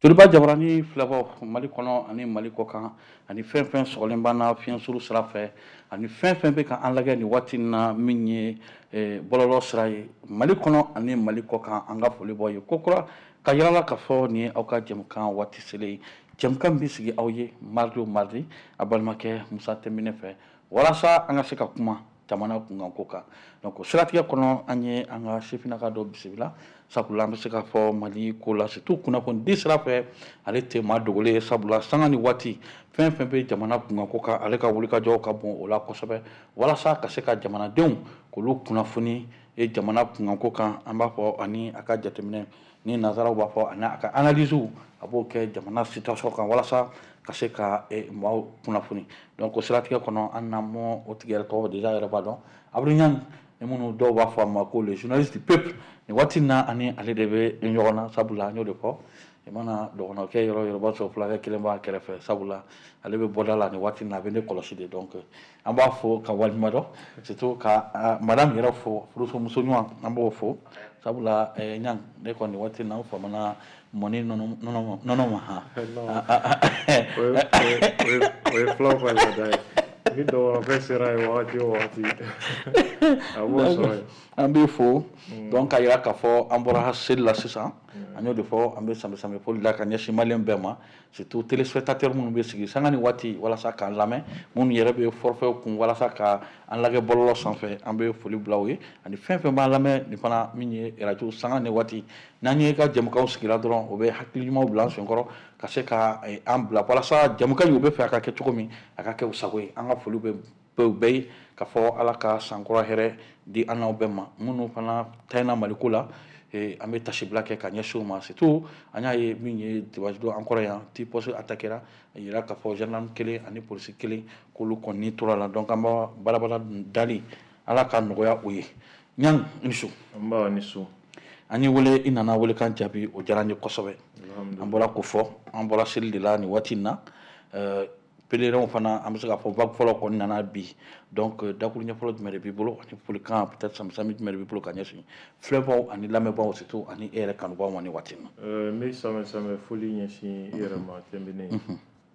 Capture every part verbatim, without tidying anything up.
Joliba Jabarani filɛbaw, Mali kɔnɔ ani Mali kɔ kan, ani fɛn fɛn sɔgɔlen b'an na fiɲɛsuru sira fɛ, ani fɛn fɛn bɛ ka an lajɛ nin waati in na, min ye bɔlɔlɔ sira ye, Mali kɔnɔ ani Mali kɔ kan, an ka foli b'aw ye kokura ka yira la k'a fɔ nin ye aw ka jɛmukan waati selen ye. Jɛmukan bɛ sigi aw ye mardi o mardi, a balimakɛ Musa Tɛnbinɛ fɛ, walasa an ka se ka kuma jamana kunkanko kan. Donc o siratigɛ kɔnɔ, an ye an ka sifinnaka dɔ bisimila, sabula an bɛ se k'a fɔ Mali ko la, surtout kunnafonidi sira fɛ, ale tɛ maa dogolen ye, sabula sanga ni waati fɛn fɛn bɛ jamana kunkanko kan, ale ka wulikajɔ ka bon o la kosɛbɛ, walasa ka se ka jamanadenw k'olu kunnafoni jamana kunkanko kan. An b'a fɔ ani a ka jateminɛ ni nanzaraw b'a fɔ, ani a ka analyse, a b'o kɛ jamana situation kan, walasa ka se ka maaw kunnafoni. Donc o siratigɛ kɔnɔ, an n'an mɔ o tigi yɛrɛ tɔgɔ déjà yɛrɛ b'a dɔn, Abdou Niang, ni minnu dɔw b'a fɔ a ma ko le journaliste du peuple. Nin waati in na, ani ale de bɛ ɲɔgɔn na, sabula an y'o de fɔ, i mana dɔgɔnɔkɛ yɔrɔ yɔrɔ, b'a sɔrɔ fulakɛ kelen b'a kɛrɛfɛ, sabula ale bɛ bɔda la nin waati in na, a bɛ ne kɔlɔsi de. Donc an b'a fo ka waleɲuman dɔn, surtout ka madame yɛrɛ fo, furuso ɲuman, an b'o fo, sabula Niang, ne kɔni waati in na, an famana mɔni nɔnɔ nɔnɔ ma han. O ye fulaw ka laada ye. Ni dɔgɔnɔkɛ sera yen wagati o wagati, a b'o sɔrɔ yen. An b'i fo. Donc k'a yira k'a fɔ an bɔra seli la sisan, an y'o de fɔ, an bɛ sanbɛ sanbɛ foli la ka ɲɛsin maliyɛn bɛɛ ma, surtout téléspectateur minnu bɛ sigi sanga ni waati walasa k'an lamɛn, minnu yɛrɛ bɛ forfait kun walasa ka an lajɛ bɔlɔlɔ sanfɛ, an bɛ foli bila u ye, ani fɛn fɛn b'an lamɛn nin fana min ye radio sanga ni waati. N'an ye ka jɛmukanw sigira dɔrɔn, o bɛ hakili ɲumanw bila an senkɔrɔ ka se ka an bila walasa jɛmukan in, u bɛ fɛ a ka kɛ cogo min, a ka kɛ u sago ye. An ka foli bɛ bɛɛ ye ka fɔ Ala ka sankura hɛrɛ di an n'aw bɛɛ ma. Minnu fana tayina Maliko la, an bɛ tasibila kɛ ka ɲɛsin u ma. Surtout an y'a ye min ye dimanche don an kɔrɔ yan, ti poste attaquera, a yira k'a fɔ gendarme kelen ani polisi kelen k'olu kɔni tora la. Donc an b'a balabala dali, Ala ka nɔgɔya o ye. Niang, i ni su. Nba, ni su. An ye wele, i nana welekan jaabi, o diyara n ye kosɛbɛ. An bɔra k'o fɔ, an bɔra seli de la nin waati in na. Pèlerins fana, an bɛ se k'a fɔ vague fɔlɔ kɔni nana bi. Donc dakuru ɲɛ fɔlɔ jumɛn de b'i bolo, ani folikan peut-être sami jumɛn de b'i bolo ka ɲɛsin filɛbaw ani lamɛnbaaw, surtout ani e yɛrɛ kanubaaw ma nin waati in na? N bɛ sanbɛ sanbɛ foli ɲɛsin i yɛrɛ ma Tɛnbine,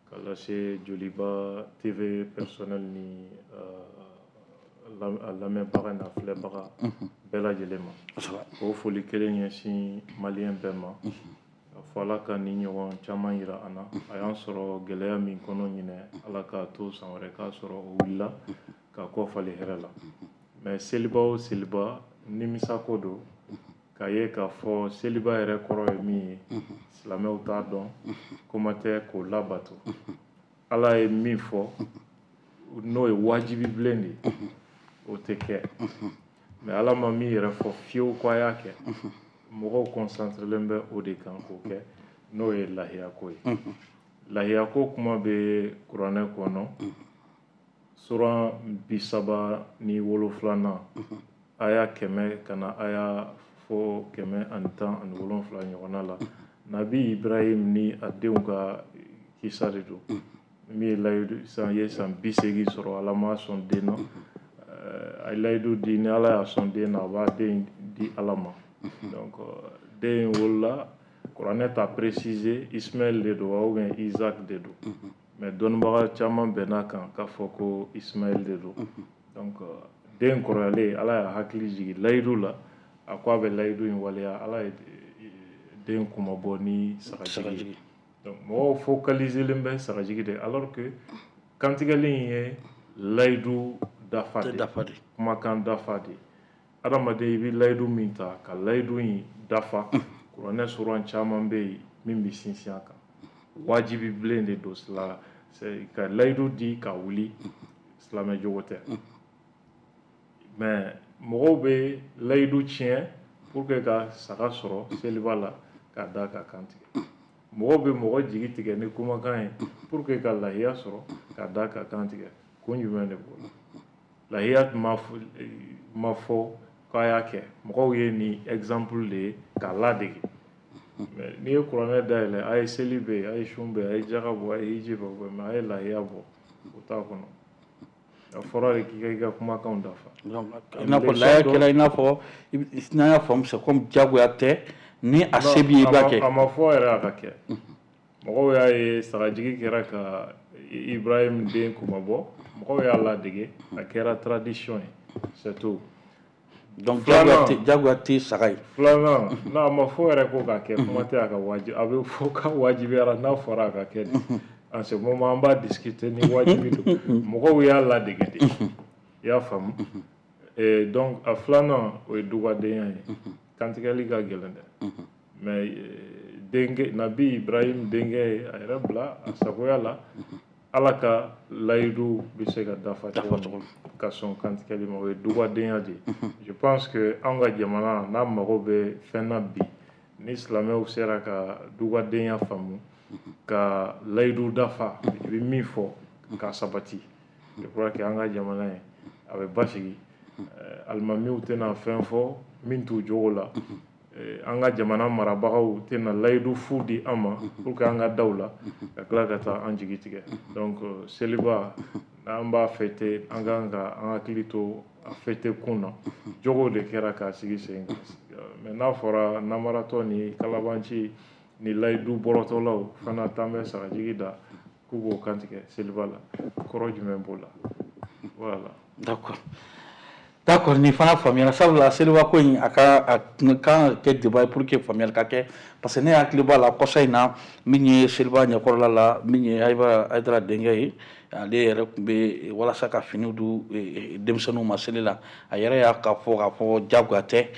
ka lase Joliba T V personnel ni a lamɛnbaga n'a filɛbaga bɛɛ lajɛlen ma. K'o foli kelen ɲɛsin maliyɛn bɛɛ ma, ka fɔ Ala ka ni ɲɔgɔn caman yira an na. A y'an sɔrɔ gɛlɛya min kɔnɔ ɲinɛ, Ala k'a to san wɛrɛ k'a sɔrɔ o wulila ka kɔ falen hɛrɛ la. Mais seliba o seliba, nimisako don k'a ye k'a fɔ seliba yɛrɛ kɔrɔ ye min ye, silamɛw t'a dɔn, kuma tɛ k'o labato. Ala ye min fɔ, n'o ye wajibi bilen de ye, o tɛ kɛ. Mais Ala ma min yɛrɛ fɔ fiyewu ko a y'a kɛ, mɔgɔw concentrelen bɛ o de kan k'o kɛ, n'o ye lahiyako ye. Lahiyako kuma bɛ kuranɛ kɔnɔ, suran bi saba ni wolonfilanan, aya kɛmɛ ka na aya fo kɛmɛ ani tan ani wolonfila ɲɔgɔnna la. Nabi Ibrahim ni a denw ka kisa de don. Min ye layidu san ye, san bi seegin sɔrɔ, Ala ma sɔn den na. A ye layidu di, ni Ala y'a sɔn den na, a b'a den di Ala ma. Donc den in wolola, kuranɛ t'a préciser Ismaël de don wa ou bien Isaac de don, mais dɔnnibaga caman bɛn'a kan k'a fɔ ko Ismaël de don. Donc den kɔrɔyalen, Ala y'a hakili jigin layidu la, a ko a bɛ layidu in waleya. Ala ye den kunmabɔ ni sagajigi ye. Donc mɔgɔw focaliselen bɛ sagajigi de, alors que kantigɛli in ye layidu dafa de, kumakan dafa de. Adamaden, i bɛ layidu min ta ka layidu in dafa, kuranɛ suran caman bɛ yen min bɛ sinsin a kan. Wajibi bilen de don la ka layidu di ka wuli, silamɛ jogo tɛ. Mais mɔgɔw bɛ layidu tiɲɛ pour que ka saga sɔrɔ seliba la k'a da ka kan tigɛ. Mɔgɔw bɛ mɔgɔ jigi tigɛ ni kumakan ye pour que ka lahiya sɔrɔ k'a da ka kan tigɛ. Kun jumɛn de b'o la? Lahiya ma ma fɔ k'a y'a kɛ, mɔgɔw ye nin exemple de ye k'a ladege. Mais n'i ye kuranɛ dayɛlɛ, a ye seli bɛ yen, a ye sun bɛ yen, a ye jaga bɔ, a ye hiji bɔ, mais a ye lahiya bɔ, o t'a kɔnɔ. A fɔra de k'i ka i ka kumakanw dafa. I n'a fɔ lahiya kɛra, i n'a fɔ n'an y'a faamu, c'est comme diyagoya tɛ, ni a se b'i ye, i b'a kɛ. A ma fɔ yɛrɛ a ka kɛ. Mɔgɔw y'a ye sagajigi kɛra ka Ibrahim den kumabɔ, mɔgɔw y'a ladege, a kɛra tradition ye, c'est tout. Donc jagoya tɛ saga ye. Filanan, n'a ma fɔ yɛrɛ ko k'a kɛ, kuma tɛ a ka wajibi, a bɛ fɔ ka wajibiyara n'a fɔra a ka kɛ de. En ce moment an b'a discuter ni wajibi don, mɔgɔw y'a ladege de, i y'a faamu. Et donc a filanan, o ye dugadenya ye. Kantigɛli ka gɛlɛn dɛ, mais denkɛ Nabi Ibrahim denkɛ ye a yɛrɛ bila a sagoya la. Ala ka layidu bɛ se ka dafa cogo min ka sɔn kantigɛli ma, o ye dugadenya de ye. Je pense que an ka jamana n'a mago bɛ fɛn na bi, ni silamɛw sera ka dugadenya faamu, ka layidu dafa, i bɛ min fɔ ka sabati, je crois que an ka jamana ye a bɛ basigi. Alimamiw tɛna fɛn fɔ min t'u jogo la, an ka jamana marabagaw tɛna layidu fu di an ma pour que an ka daw la ka tila ka taa an jigi tigɛ. Donc seliba n'an b'a fêter, an kan ka an hakili to a fêter kun na, jogo de kɛra k'a sigi sen kan. Mais n'a fɔra namaratɔ ni kalabanci ni layidu bɔrɔtɔlaw fana t'an bɛ sagajigi da k'u b'o kantigɛ seliba la, kɔrɔ jumɛn b'o la? Voilà. D'accord. D'accord, ni fana faamuyara. Sabula seliba ko in, a ka a kan ka kɛ débat ye pour que faamuyali ka kɛ, parce que ne hakili b'a la kɔsa in na, min ye seliba ɲɛkɔrɔla la, min ye Ayiba Hayidara denkɛ ye, ale yɛrɛ tun bɛ walasa ka finiw di denmisɛnninw ma seli la, a yɛrɛ y'a ka fɔ k'a fɔ jagoya tɛ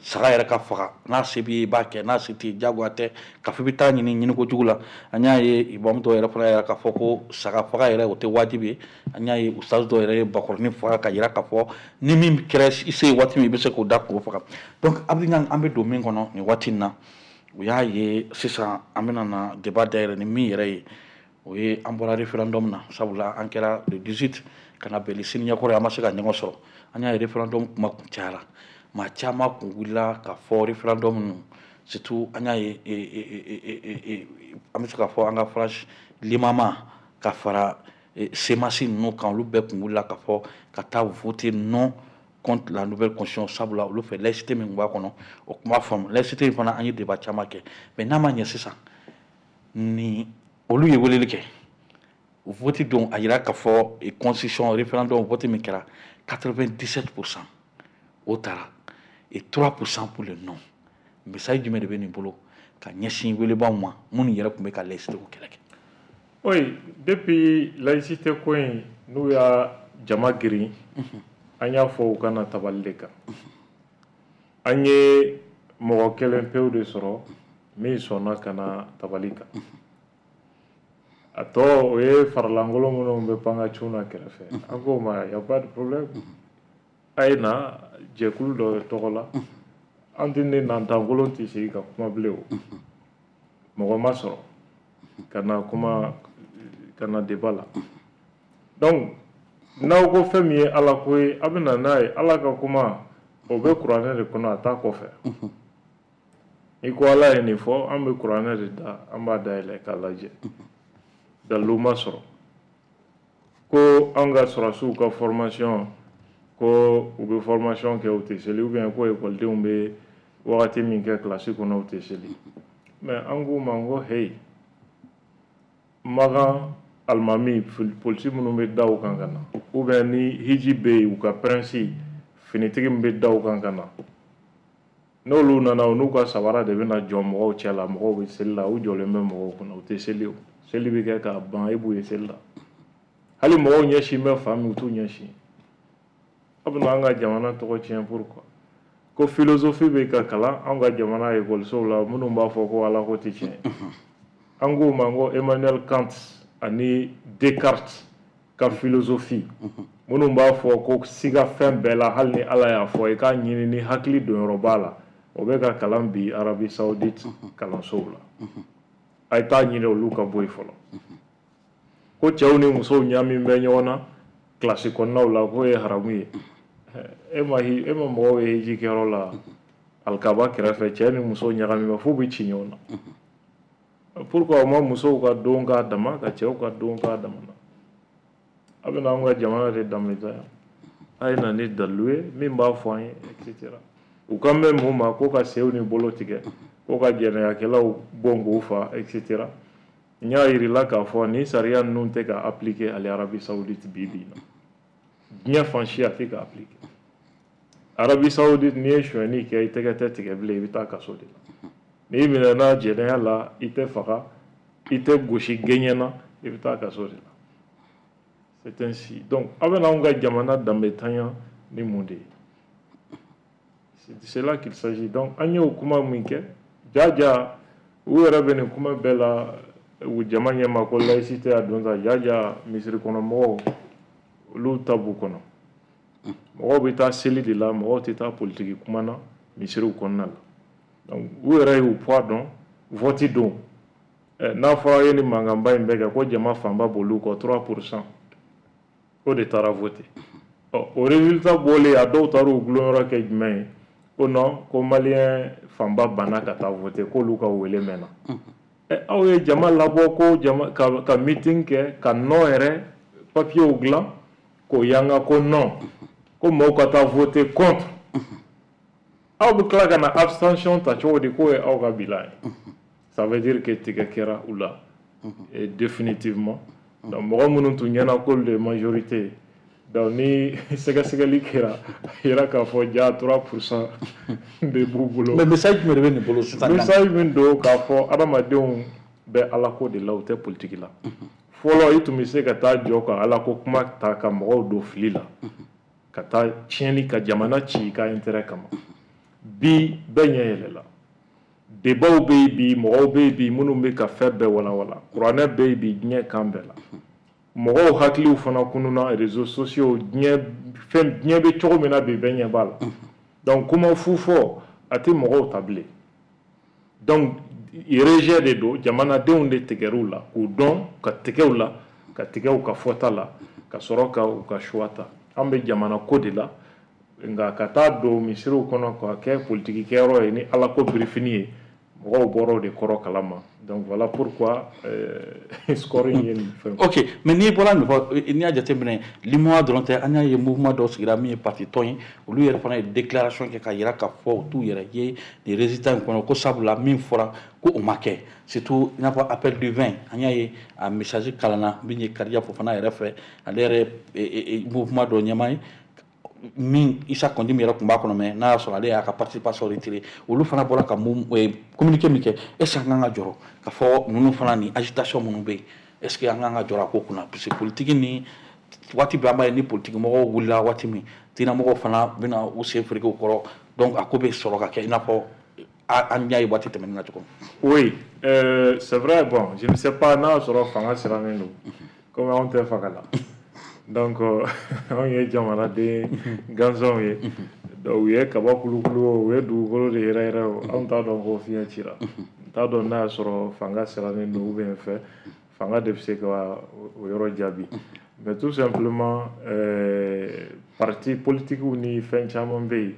saga yɛrɛ ka faga, n'a se b'i ye i b'a kɛ, n'a se t'i ye jagoya tɛ ka fɔ i bɛ taa ɲini ɲini kojugu la. An y'a ye imamu dɔw yɛrɛ fana yɛrɛ k'a fɔ ko saga faga yɛrɛ o tɛ wajibi ye. An y'a ye ustaz dɔw yɛrɛ ye bakɔrɔnin faga ka yira k'a fɔ ni min kɛra i se ye waati min, i bɛ se k'o da k'o faga. Donc Abdou Niang, an bɛ don min kɔnɔ nin waati in na, o y'a ye sisan an bɛna na débat dayɛlɛ ni min yɛrɛ ye, o ye an bɔra référendum na. Sabula an kɛra le dix-huit ka na bɛn ni sini ɲɛkɔrɔ ye, an ma se ka ɲɔgɔn sɔrɔ. An y'a ye référendum kuma kun cayara, maa caman kun wulila ka fɔ référendum ninnu, surtout an y'a ye an bɛ se ka fɔ an ka France limama ka fara C M A S ninnu kan, olu bɛɛ kun wulila ka fɔ ka taa voter non contre la nouvelle constitution. Sabula olu fɛ laïcité min tun b'a kɔnɔ, o tun b'a faamu. Laïcité in fana, an ye débat caman kɛ, mais n'a ma ɲɛ sisan ni olu ye weleli kɛ vote don, a yira k'a fɔ constitution référendum vote min kɛra, quatre-vingt-dix-sept pour cent o taara et trois pour cent pour le non. Message jumɛn de bɛ nin bolo ka ɲɛsin welebaw ma minnu yɛrɛ tun bɛ ka laïcité ko kɛlɛ kɛ? Oui, depuis laïcité ko in n'u y'a jama girin, an y'a fɔ u kana tabali de kan. An ye mɔgɔ kelen pewu de sɔrɔ min sɔnna ka na tabali kan. A tɔ, o ye faralankolon minnu bɛ pan ka cun na kɛrɛfɛ. An k'o ma, y a pas de problème, a ye na jɛkulu dɔ tɔgɔ la, an tɛ ne nantankolon tɛ sigi ka kuma bilen. O mɔgɔ ma sɔrɔ ka na kuma, ka na débat la. Donc n'aw ko fɛn min ye Ala ko ye, a bɛ na n'a ye. Ala ka kuma, o bɛ kuranɛ de kɔnɔ, a t'a kɔfɛ. N'i ko Ala ye nin fɔ, an bɛ kuranɛ de da, an b'a dayɛlɛ k'a lajɛ. Dalilu ma sɔrɔ ko an ka sɔrɔdasiw ka formation, ko u bɛ formation kɛ u tɛ seli, ou bien ko ekɔlidenw bɛ wagati min kɛ kilasi kɔnɔ u tɛ seli. Mais an k'u ma ko hey, Makan alimami, polisi minnu bɛ da u kan ka na, ou bien ni hiji bɛ yen, u ka prince finitigi min bɛ da u kan ka na, n'olu nana, u n'u ka sabara de bɛna jɔ mɔgɔw cɛ la. Mɔgɔw bɛ seli la, u jɔlen bɛ mɔgɔw kunna, u tɛ seli. O seli bɛ kɛ k'a ban, e b'u ye seli la, hali mɔgɔw ɲɛsin bɛ fan min, u t'u ɲɛsin. A bɛna an ka jamana tɔgɔ tiɲɛ. Pourquoi? Ko philosophie bɛ ka kalan an ka jamana ekɔlisow la, minnu b'a fɔ ko Ala ko tɛ tiɲɛ. An k'o ma ko Emmanuel Kant ani Descartes ka philosophie, minnu b'a fɔ ko siga fɛn bɛɛ la, hali ni Ala y'a fɔ, i k'a ɲini ni hakili donyɔrɔ b'a la, o bɛ ka kalan bi Arabie Saoudite kalansow la. A ye taa ɲini olu ka bɔ yen fɔlɔ. Ko cɛw ni musow ɲami bɛ ɲɔgɔn na kilasi kɔnɔnaw la, k'o ye haramu ye. E ma e ma mɔgɔw ye hiji kɛyɔrɔ la, alikaba kɛrɛfɛ, cɛ ni muso ɲagami bɛ f'u bɛ ci ɲɔgɔn na. Pourquoi o ma musow ka don k'a dama, ka cɛw ka don k'a dama na? A bɛna anw ka jamana de danbeta yan. A ye na ni dalilu ye min b'a fɔ an ye, et cetera. U kan bɛ mun ma ko ka senw ni bolo tigɛ, ko ka jɛnɛyakɛlaw bon k'u fa, et cetera. N y'a yirila k'a fɔ nin sariya ninnu tɛ ka appliquer hali Arabie Saoudite bi bi in na. Diɲɛ fan si a tɛ ka appliquer. Arabie Saoudite, n'i ye sonyɛni kɛ, i tɛgɛ tɛ tigɛ bilen, i bɛ taa kaso de la. N'i minɛna jɛnɛya la, i tɛ faga, i tɛ gosi gɛɲɛ na, i bɛ taa kaso de la. C'est ainsi. Donc aw bɛna anw ka jamana danbetanya ni mun de ye? C'est de cela qu'il s'agit. Donc an y'o kuma min kɛ, jaja u yɛrɛ bɛ nin kuma bɛɛ la u jama ɲɛma ko laïcité a don sa. Jaja misiri kɔnɔ mɔgɔw, olu ta b'u kɔnɔ. Mɔgɔw bɛ taa seli de la, mɔgɔw tɛ taa politiki kuma na misiriw kɔnɔna la. Donc u yɛrɛ y'u poids dɔn vote don. N'a fɔra ye ni mankanba in bɛɛ kɛ ko jama fanba b'olu kɔ, trois pour cent o de taara voter. Ɔ, o résultat bɔlen, a dɔw taara u gulonyɔrɔ kɛ jumɛn ye? Ko non, ko malien fanba banna ka taa voter, k'olu ka wele mɛnna. Ɛ, aw ye jama labɔ ko jama ka, ka meeting kɛ, ka non yɛrɛ papiers dilan k'o yanga ko non, ko mɔgɔw ka taa voter contre. Aw bɛ tila ka na abstention ta cogo di k'o ye aw ka bilan ye? Ça veut dire que tigɛ kɛra u la et définitivement. Donc mɔgɔ minnu tun ɲɛna k'olu de ye majorité, donc ni sɛgɛsɛgɛli kɛra, a yira k'a fɔ ja trois pour cent de b'u bolo. Mais message jumɛn de bɛ nin bolo sisan? Message min don k'a fɔ adamadenw bɛ alako de la, u tɛ politiki la. Fɔlɔ, i tun bɛ se ka taa jɔ ka alako kuma ta ka mɔgɔw don fili la, ka taa tiɲɛni ka jamana ci i ka intérêt kama. Bi, bɛɛ ɲɛ yɛlɛla, débatw bɛ yen bi, mɔgɔw bɛ yen bi minnu bɛ ka fɛn bɛɛ walawala. Kuranɛ bɛ yen bi diɲɛ kan bɛɛ la. Mɔgɔw hakiliw fana kununa, réseaux sociaux, diɲɛ fɛn, diɲɛ bɛ cogo min na bi, bɛɛ ɲɛ b'a la. Donc kuma fu fɔ a tɛ mɔgɔw ta bilen. Donc rejet de don, jamanadenw de tigɛr'u la k'u dɔn ka tigɛ u la, ka tigɛ u ka fɔta la, ka sɔrɔ ka u ka choix ta. An bɛ jamana ko de la, nka ka taa don misiriw kɔnɔ ka kɛ politiki kɛyɔrɔ ye ni ala ko birifini ye, mɔgɔw bɔra o de kɔrɔ kalama. Donc voilà pourquoi euh, score in ye nin fɛn. Ok, mais n'i bɔra nin fɔ, n'i y'a jateminɛ, LUMOA dɔrɔn tɛ. An y'a ye mouvement dɔw sigira min ye parti tɔn ye, olu yɛrɛ fana ye déclaration kɛ ka yira k'a fɔ u t'u yɛrɛ ye nin résultat in kɔnɔ, ko sabula min fɔra ko o ma kɛ. Surtout i n'a fɔ appel du vingt, an y'a ye a message kalanna min ye Kariya Fofana yɛrɛ fɛ, ale yɛrɛ mouvement dɔ ɲɛmaa ye min Issa Kaou Djim yɛrɛ tun b'a kɔnɔ, mais n'a y'a sɔrɔ ale y'a ka participation retiré. Olu fana bɔra ka communiqué min kɛ, est ce que an kan ka jɔrɔ ka fɔ ninnu fana ni agitation minnu bɛ yen, est ce que an kan ka jɔrɔ a ko kunna? Parce que politique ni waati bɛɛ, an b'a ye ni politique mɔgɔw wulila waati min, diinɛmɔgɔw fana bɛna u sen fereke u kɔrɔ. Donc a ko bɛ sɔrɔ ka kɛ i n'a fɔ an y'a ye waati tɛmɛnen na cogo min. Oui, euh, c'est vrai. Bon, je ne sais pas n'a y'a sɔrɔ fanga sirannen don, comme anw tɛ fanga la. Donc anw ye jamanaden gansanw ye. Donc u ye kaba kulukulu o, u ye dugukolo de yɛrɛ yɛrɛ o, anw t'a dɔn ko fiɲɛ cira. N t'a dɔn n'a y'a sɔrɔ fanga sirannen don ou bien fɛ fanga de bɛ se ka o yɔrɔ jaabi. Mais tout simplement, euh, parti politique ni fɛn caman bɛ yen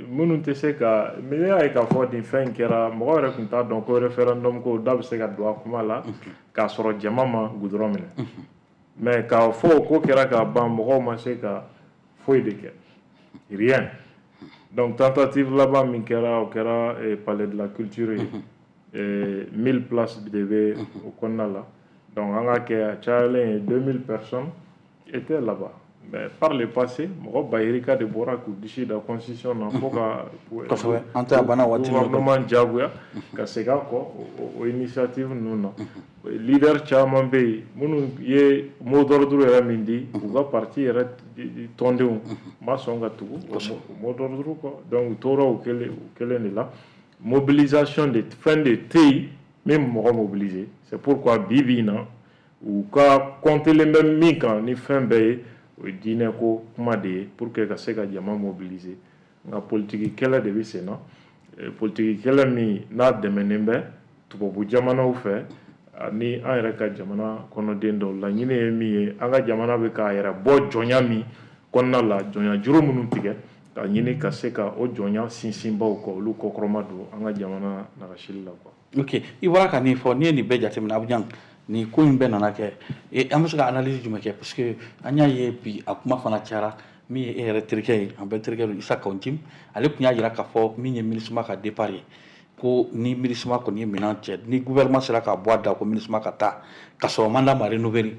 minnu tɛ se ka, mais ne y'a ye k'a fɔ nin fɛn in kɛra, mɔgɔ yɛrɛ tun t'a dɔn ko référendum ko da bɛ se ka don a kuma la k'a sɔrɔ jama ma goudron minɛ. Mais k'a fɔ o ko kɛra k'a ban, mɔgɔw ma se ka foyi de kɛ, rien. Donc tentative laban min kɛra, o kɛra palais de la culture ye. Mille places de bɛ o kɔnɔna la. Donc an ka kɛ a cayalen ye deux mille personnes étaient là-bas. Mais par le passé, mɔgɔ ba yirika de bɔra k'u disi da constitution na fo ka Kosɛbɛ, an tɛ a banna waati. gouvernement diyagoya ka segin a kɔ o initiative ninnu na. Leader caman bɛ yen minnu ye mot d'ordre yɛrɛ min di, u ka parti yɛrɛ tɔndenw ma sɔn ka tugu o mot d'ordre kɔ. Donc u tora o kelen o kelen de la. Mobilisation de fɛn de tɛ yen min bɛ mɔgɔ mobiliser. C'est pourquoi bi bi in na, u ka comptelen bɛ min kan ni fɛn bɛɛ ye, o ye diinɛ ko kuma de ye pour que ka se ka jama mobiliser. Nka politiki kɛlɛ de bɛ sen na, politiki kɛlɛ min n'a dɛmɛnen bɛ tubabu jamanaw fɛ ani an yɛrɛ ka jamana kɔnɔden dɔw. Laɲini ye min ye, an ka jamana bɛ k'a yɛrɛ bɔ jɔnya min kɔnɔna la, jɔnya juru minnu tigɛ ka ɲini ka se ka o jɔnya sinsinbaw kɔ, olu kɔkɔrɔma don an ka jamana nagasili la quoi. Ok, i bɔra ka nin fɔ, n'i ye nin bɛɛ jateminɛ, Abijan, nin ko in bɛɛ nana kɛ, an bɛ se ka analyse jumɛn kɛ? Parce que an y'a ye bi a kuma fana cayara. Min ye e yɛrɛ terikɛ ye, an bɛɛ terikɛ don, Issa Kaou Djim, ale tun y'a jira k'a fɔ min ye MINUSMA ka départ ye. Ko ni MINUSMA kɔni ye minɛn cɛ, ni gouvernement sera ka bɔ a da ko MINUSMA ka taa ka sɔrɔ mandat ma renouveler,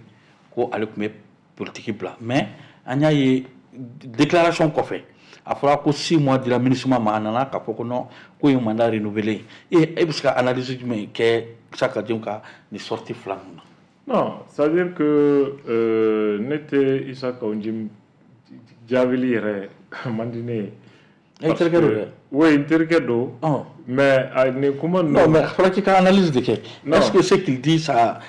ko ale tun bɛ politique bila. Mais an y'a ye déclaration kɔfɛ, a fɔra ko six mois dira MINUSMA ma, a nana k'a fɔ ko non, ko ye mandat renouveler. E e bɛ se ka analyse jumɛn kɛ Issa Kaou Djim ka nin sortie fila ninnu na? Non, c'est-à-dire que euh, ne tɛ Issa Kaou Djim jaabili yɛrɛ man di ne ye. E terikɛ don dɛ. Oui, n terikɛ don. Mais nin kuma ninnu. Non, mais a fɔra k'i ka analyse de kɛ. Est-ce que ce qu'il dit, ça,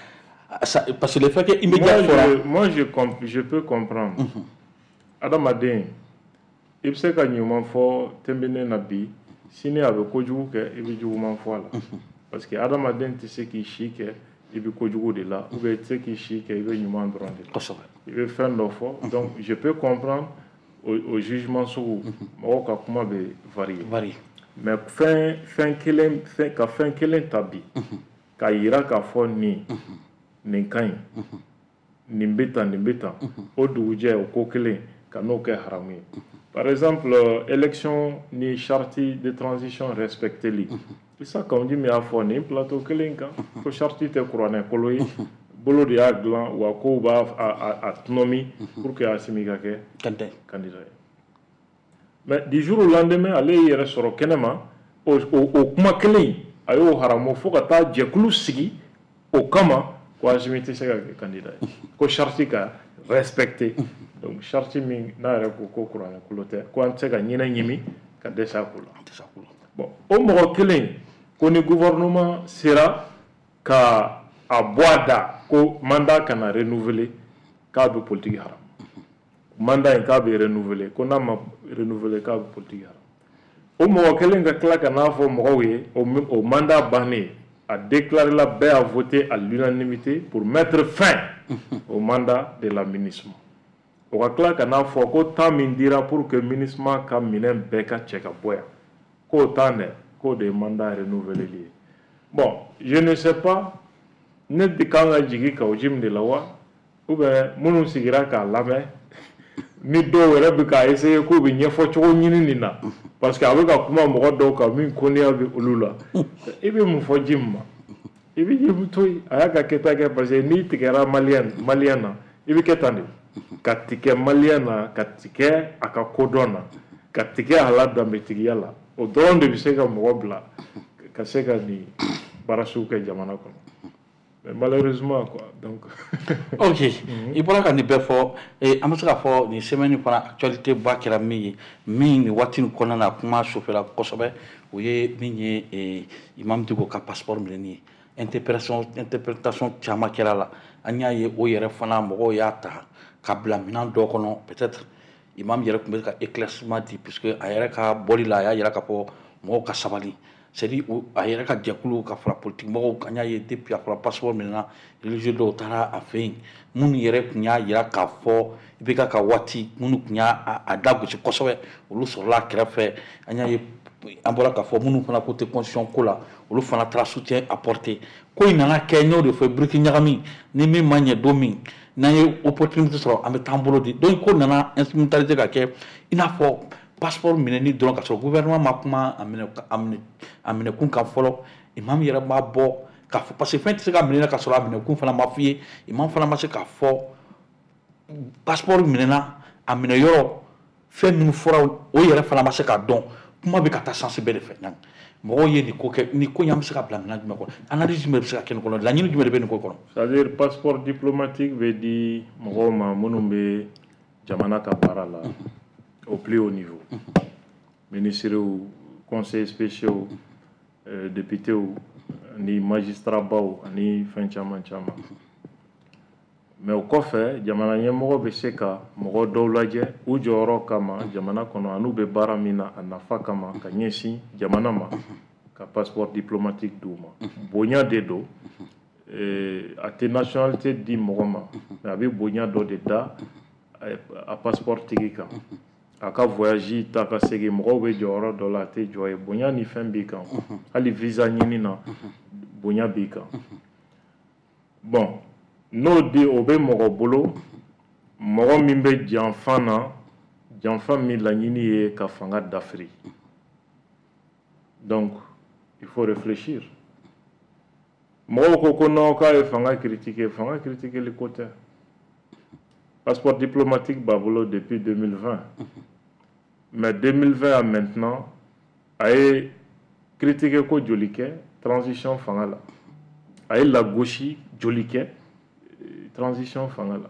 ça, parce que le fait que immédiat fɔra. Moi, je, je peux comprendre. Adamaden, i bɛ se ka ɲuman fɔ tɛnbene na bi, sini a bɛ kojugu kɛ, i bɛ juguman fɔ a la. Parce que adamaden tɛ se k'i si kɛ i bɛ kojugu de la, ou bien i tɛ se k'i si kɛ i bɛ ɲuman dɔrɔn de la. Kosɛbɛ. I bɛ fɛn dɔ fɔ, donc je peux comprendre o, o jugement sugu, mɔgɔw ka kuma bɛ varier. Varier. Mais fɛn fɛn kelen fɛn ka fɛn kelen ta bi k'a yira k'a fɔ nin nin ka ɲi, nin bɛ tan, nin bɛ tan, o dugujɛ o ko kelen ka n'o kɛ haramu ye. Par exemple, élection ni charte de transition respecteli. Issa Kaou Djim y'a fɔ nin plateau kelen kan ko charte tɛ kuranɛ kolo ye, bolo de y'a dilan, wa kow b'a a, a tɔnɔmi pour que Assimi ka kɛ candidat ye. Mais du jour au lendemain, ale y'i yɛrɛ sɔrɔ kɛnɛma, o, o, o kuma kelen a y'o haramu fo ka taa jɛkulu sigi o kama ko Assimi tɛ se ka kɛ candidat ye, ko charte ka respecter. Donc charte min n'a yɛrɛ ko ko kuranɛ kolo tɛ, ko an tɛ se ka ɲinɛ ɲimi ka dɛsɛ a ko la. Bon, o mɔgɔ kelen ko ni gouvernement sera ka a bɔ a da ko mandat kana renouveler, k'a bɛ politique haram. Mandat in k'a bɛ renouveler, ko n'a ma renouveler k'a bɛ politique haram. O mɔgɔ kelen ka tila ka n'a fɔ mɔgɔw ye o, o mandat bannen, a déclaré la, bɛɛ a voté à l'unanimité pour mettre fin au mandat de la MINUSMA. O ka tila ka n'a fɔ ko temps min dira pour que MINUSMA ka minɛn bɛɛ ka cɛ ka bɔ yan, k'o temps dɛ, k'o de ye mandat renouvelé ye. Bon, je ne sais pas, ne de kan ka jigin Kaou Djim de la wa, ou bien minnu sigira k'a lamɛn, ni dɔw yɛrɛ bɛ k'a essayer k'u bɛ ɲɛfɔ cogo ɲini nin na, parce que a bɛ ka kuma mɔgɔ dɔw kan min koniya bɛ olu la. I bɛ mun fɔ Djim ma? I bɛ Djim to yen, a y'a ka kɛta kɛ, parce que n'i tigɛra maliyɛn maliyɛn na, i bɛ kɛ tan de, ka tigɛ maliyɛn na, ka tigɛ a ka kodɔn na, ka tigɛ a la danbetigiya la, o dɔrɔn de bɛ se ka mɔgɔ bila ka se ka nin baara sugu kɛ jamana kɔnɔ. Mais malheureusement quoi, donc. Ok, i bɔra ka nin bɛɛ fɔ, an bɛ se k'a fɔ nin semaine fana actualité ba kɛra min ye, min nin waati nin kɔnɔna na kuma sofɛla kosɛbɛ, o ye min ye Imam Dicko ka passeport minɛni ye. Interprétation interprétation caman kɛra la, an y'a ye o yɛrɛ fana mɔgɔw y'a ta ka bila minɛn dɔ kɔnɔ. Peut-être imam yɛrɛ tun bɛ ka éclaircissement di, puisque a yɛrɛ ka bɔli la a y'a yira k'a fɔ mɔgɔw ka sabali, c'est-à-dire a yɛrɛ ka jɛkulu ka fara politique mɔgɔw kan. Y'a ye depuis a fɔra passeport minɛna, religieux dɔw taara a fɛ yen, minnu yɛrɛ tun y'a yira k'a fɔ I B K ka waati, minnu tun y'a a da gosi kosɛbɛ, olu sɔrɔla a kɛrɛfɛ. An y'a ye an bɔra k'a fɔ minnu fana ko tɛ constitution ko la, olu fana taara soutien apporter. Ko in nana kɛ, n y'o de fɔ, biriki ɲagami ni min ma ɲɛ don min n'an ye opportunité sɔrɔ, an bɛ taa an bolo di. Donc ko nana instrumentaliser ka kɛ i n'a fɔ passeport minɛni dɔrɔn, ka sɔrɔ gouvernement ma kuma a minɛ a minɛ a minɛkun kan fɔlɔ. Imam yɛrɛ b'a bɔ k'a fɔ, parce que fɛn tɛ se ka minɛ ka sɔrɔ a minɛkun fana ma f'i ye. Imam fana ma se k'a fɔ passeport minɛna, a minɛ yɔrɔ, fɛn minnu fɔra, o yɛrɛ fana ma se k'a dɔn. Kuma bɛ ka taa sens bɛɛ de fɛ. Mɔgɔw ye nin ko kɛ, nin ko in an bɛ se ka bila minɛn jumɛn kɔnɔ? Analyse jumɛn bɛ se ka kɛ nin kɔnɔ? Laɲini jumɛn de bɛ nin ko kɔnɔ? C'est-à-dire passeport diplomatique bɛ di mɔgɔw ma minnu bɛ jamana ka baara la au plus haut niveau, ministres, conseillers spéciaux, euh, députés ani magistrat baw ani fɛn caman caman. Mais o kɔfɛ, jamana ɲɛmɔgɔ bɛ se ka mɔgɔ dɔw lajɛ u jɔyɔrɔ kama jamana kɔnɔ an'u bɛ baara min na a nafa kama ka ɲɛsin jamana ma, ka passeport diplomatique d'u ma. Bonya de don, a tɛ nationalité di mɔgɔ ma, mais a bɛ bonya dɔ de da a passeport tigi kan. A ka voyage ta ka segin, mɔgɔw bɛ jɔyɔrɔ dɔ la, a tɛ jɔ ye, bonya ni fɛn b'i kan. Hali visa ɲini na, bonya b'i kan. Bon, n'o di o bɛ mɔgɔ bolo, mɔgɔ min bɛ janfa na, janfa min laɲini ye ka fanga dafiri. Donc Il faut réfléchir. Mɔgɔw ko ko non, k'a ye fanga critiquer. Fanga critiquer ko tɛ. Passeport diplomatique b'a bolo depuis deux mille vingt, mais deux mille vingt à maintenant, a ye critiquer ko joli kɛ transition fanga la? A ye lagosi joli kɛ transition fanga la?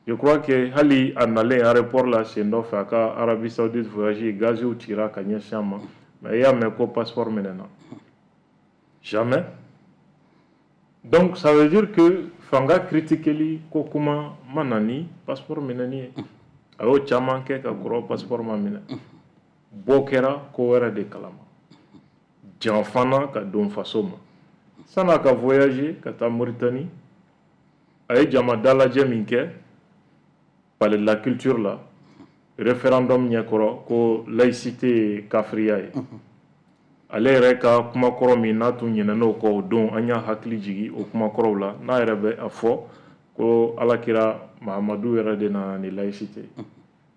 Je crois que hali a nalen aéroport la sen dɔ fɛ, a ka Arabie Saoudite voyage, gaziw cira ka ɲɛsin a ma, mais i y'a mɛn ko passeport minɛna? Jamais. Donc ça veut dire que fanga critiqueli ko kuma ma na ni passeport minɛni ye. A y'o caman kɛ ka kɔrɔ, passeport ma minɛ. Bɔ kɛra ko wɛrɛ de kalama, janfana ka don faso ma. San'a ka voyager ka taa Mauritanie, a ye jama dalajɛ min kɛ Palais de la Culture la, référendum ɲɛkɔrɔ, ko laïcité ye kafiriya ye, ale yɛrɛ ka kumakɔrɔ min n'a tun ɲinɛn'o kɔ o don, an y'a hakili jigi o kumakɔrɔw la, n'a yɛrɛ bɛ a fɔ ko Alakira Mahamadu yɛrɛ de nana ni laïcité,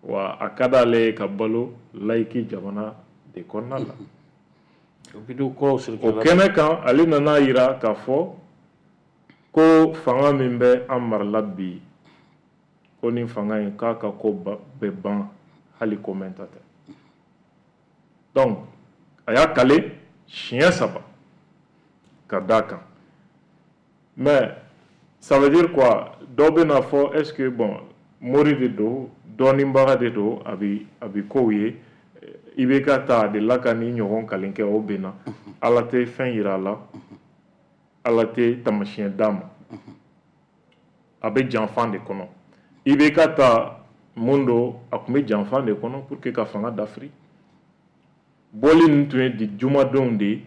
wa a ka d'ale ye ka balo laïque jamana de kɔnɔna la. O kɛnɛ kan, ale nana yira k'a fɔ ko fanga min bɛ an marala bi, ko ni fanga in k'a ka ko bɛ ban hali ko mɛn ta tɛ. Donc a y'a kale siɲɛ saba ka d'a kan. Mais ça veut dire quoi? Dɔ bɛ n'a fɔ, est ce que, bon, mori de don, dɔɔninbaga de don, a bi a bi kow ye. I bɛ ka ta a delila ka ni ɲɔgɔn kalen kɛ, o bɛnna. Ala tɛ fɛn yira a la, Ala tɛ tamasiyɛn d'a ma, a bɛ janfan de kɔnɔ. I bɛ ka ta mun don, a tun bɛ janfan de kɔnɔ pour que ka fanga dafiri. Bɔli ninnu tun ye di jumadenw de ye,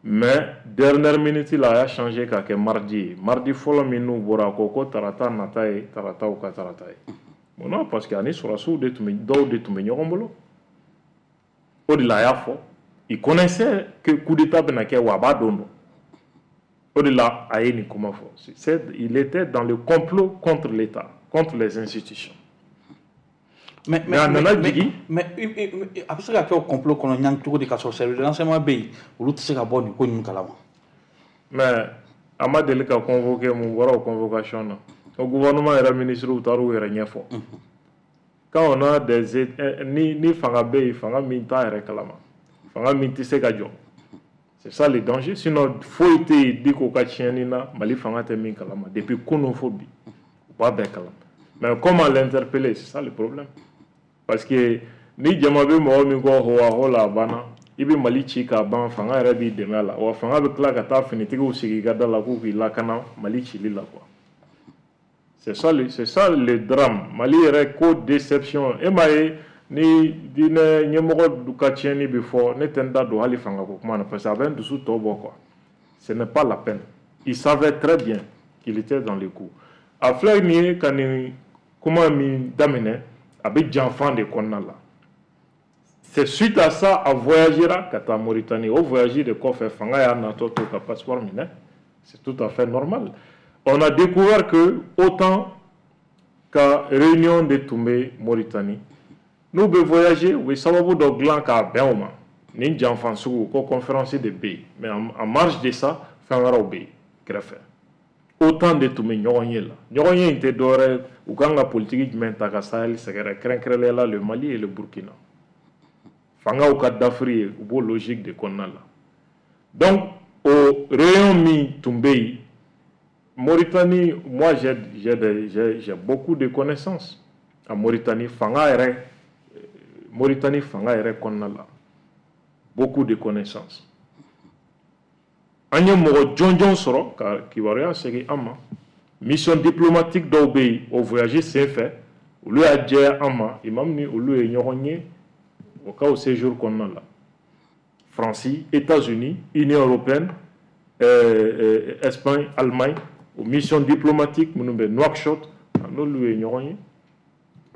mais dernière minute la, a y'a changé k'a kɛ mardi ye. Mardi fɔlɔ min n'u bɔra, a ko ko tarata nata ye tarataw ka tarata ye. Munna? Parce que ani sɔrɔdasiw de tun bɛ, dɔw de tun bɛ ɲɔgɔn bolo. O de la a y'a fɔ, il connaissait que coup d'état bɛna kɛ, wa a b'a don dɔn. O de la a ye nin kuma fɔ. C'est il était dans le complot contre l'État, contre les institutions. Mais mais a nana jigin. Mais a bɛ se ka kɛ o complot kɔnɔ ɲan cogo di, ka sɔrɔ service de renseignement bɛ yen, olu tɛ se ka bɔ nin ko ninnu kalama? Mais a ma deli ka convoquer. Mun bɔra o convocation na? O gouvernement yɛrɛ ministre taar'u yɛrɛ ɲɛfɔ. Quand on a des ni ni fanga bɛ yen, fanga min t'a yɛrɛ kalama, fanga min tɛ se ka jɔ, c'est ça le danger. Sinon foyi tɛ yen Diko ka tiɲɛni na Mali fanga tɛ min kalama. Depuis kunun fo bi, u b'a bɛɛ kalama. Mais comment l'interpeller? C'est ça le problème, parce que ni jama bɛ mɔgɔ min kɔ ho la, a banna. I bɛ Mali ci k'a ban, fanga yɛrɛ b'i dɛmɛ a la, wa fanga bɛ tila ka taa finitigiw sigi i ka da la k'u k'i lakana Mali cili la, quoi. C'est ça le c'est ça le drame. Mali yɛrɛ ko déception. E m'a ye, ni diinɛ ɲɛmɔgɔ ka tiɲɛni bɛ fɔ, ne tɛ n da don hali fanga ko kuma na, parce que a bɛ n dusu tɔ bɔ, quoi. Ce n'est pas la peine. Il savait très bien qu'il était dans le coup. A filɛ nin ye ka nin kuma min daminɛ, a bɛ janfan de kɔnɔna la. C'est suite à ça, a voyagera ka taa Mauritanie. O voyage de kɔfɛ, fanga y'a natɔ to ka passeport minɛ. C'est tout à fait normal. On a découvert que autant ka réunion de tun bɛ Mauritanie, n'u bɛ voyager, u bɛ sababu dɔ dilan k'a bɛn o ma. Nin janfan sugu ko conférence de bɛ yen, mais en marge de ça, fɛn wɛrɛw bɛ yen kɛrɛfɛ. Autant de tun bɛ ɲɔgɔn ye la. Ɲɔgɔn ye in tɛ dɔwɛrɛ ye, u kan ka politique jumɛn ta ka Sahel sɛgɛrɛ, kɛrɛnkɛrɛnnenya la le Mali et le Burkina. Fangaw ka dafiri ye, u b'o logique de kɔnɔna la. Donc o réunion min tun bɛ yen Mauritanie, moi j'ai j'ai j'ai beaucoup de connaissances à Mauritanie, fanga yɛrɛ, Mauritanie fanga yɛrɛ kɔnɔna la, beaucoup de connaissances. An ye mɔgɔ jɔnjɔn sɔrɔ ka kibaruya segin an ma. Mission diplomatique dɔw bɛ yen, o voyage sen fɛ, olu y'a jɛya an ma, imam ni olu ye ɲɔgɔn ye o ka o séjour kɔnɔna la. Faransi, États-Unis, Union européenne, euh, euh, Espagne, Allemagne, o mission diplomatique minnu bɛ Nouakchott, n'olu ye ɲɔgɔn ye.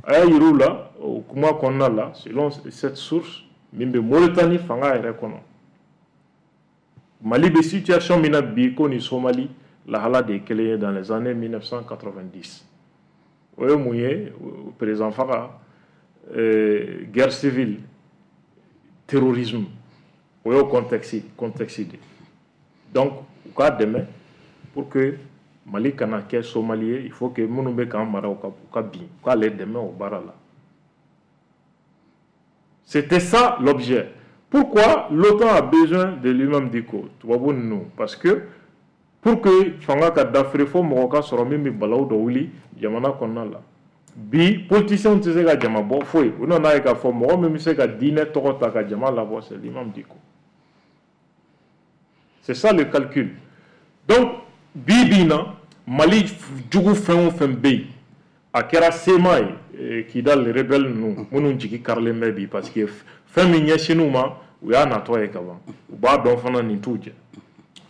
A y'a yir'u la o kuma kɔnɔna la, selon cette source min bɛ Mauritanie fanga yɛrɛ kɔnɔ, Mali bɛ situation min na bi, ko ni Somali lahala de ye kelen ye dans les années mille neuf cent quatre-vingt-dix. O ye mun ye? Président faga, euh, guerre civile, terrorisme. O y'o contexte contexte de. Donc u k'a dɛmɛ pour que Mali kana kɛ Somali ye. Il faut que minnu bɛ k'an mara, u ka u ka bin, u k'ale dɛmɛ o baara la. C'était ça l'objet. Pourquoi l'OTAN a besoin de l'imam Dicko, tubabu ninnu? Parce que pour que fanga ka dafiri, fo mɔgɔ ka sɔrɔ min bɛ balawu dɔ wuli jamana kɔnɔna la. Bi politiciens tɛ se ka jama bɔ foyi. U nana ye k'a fɔ mɔgɔ min bɛ se ka diinɛ tɔgɔ ta ka jama labɔ, c'est l'imam Dicko. C'est ça le calcul. Donc bi bi in na, Mali jugu fɛn o fɛn bɛ yen, a kɛra C M A ye, Kidal rebelle ninnu minnu jigi karilen bɛ bi, parce que fɛn min ɲɛsinn'u ma, u y'a natɔ ye ka ban, u b'a dɔn fana nin t'u jɛ.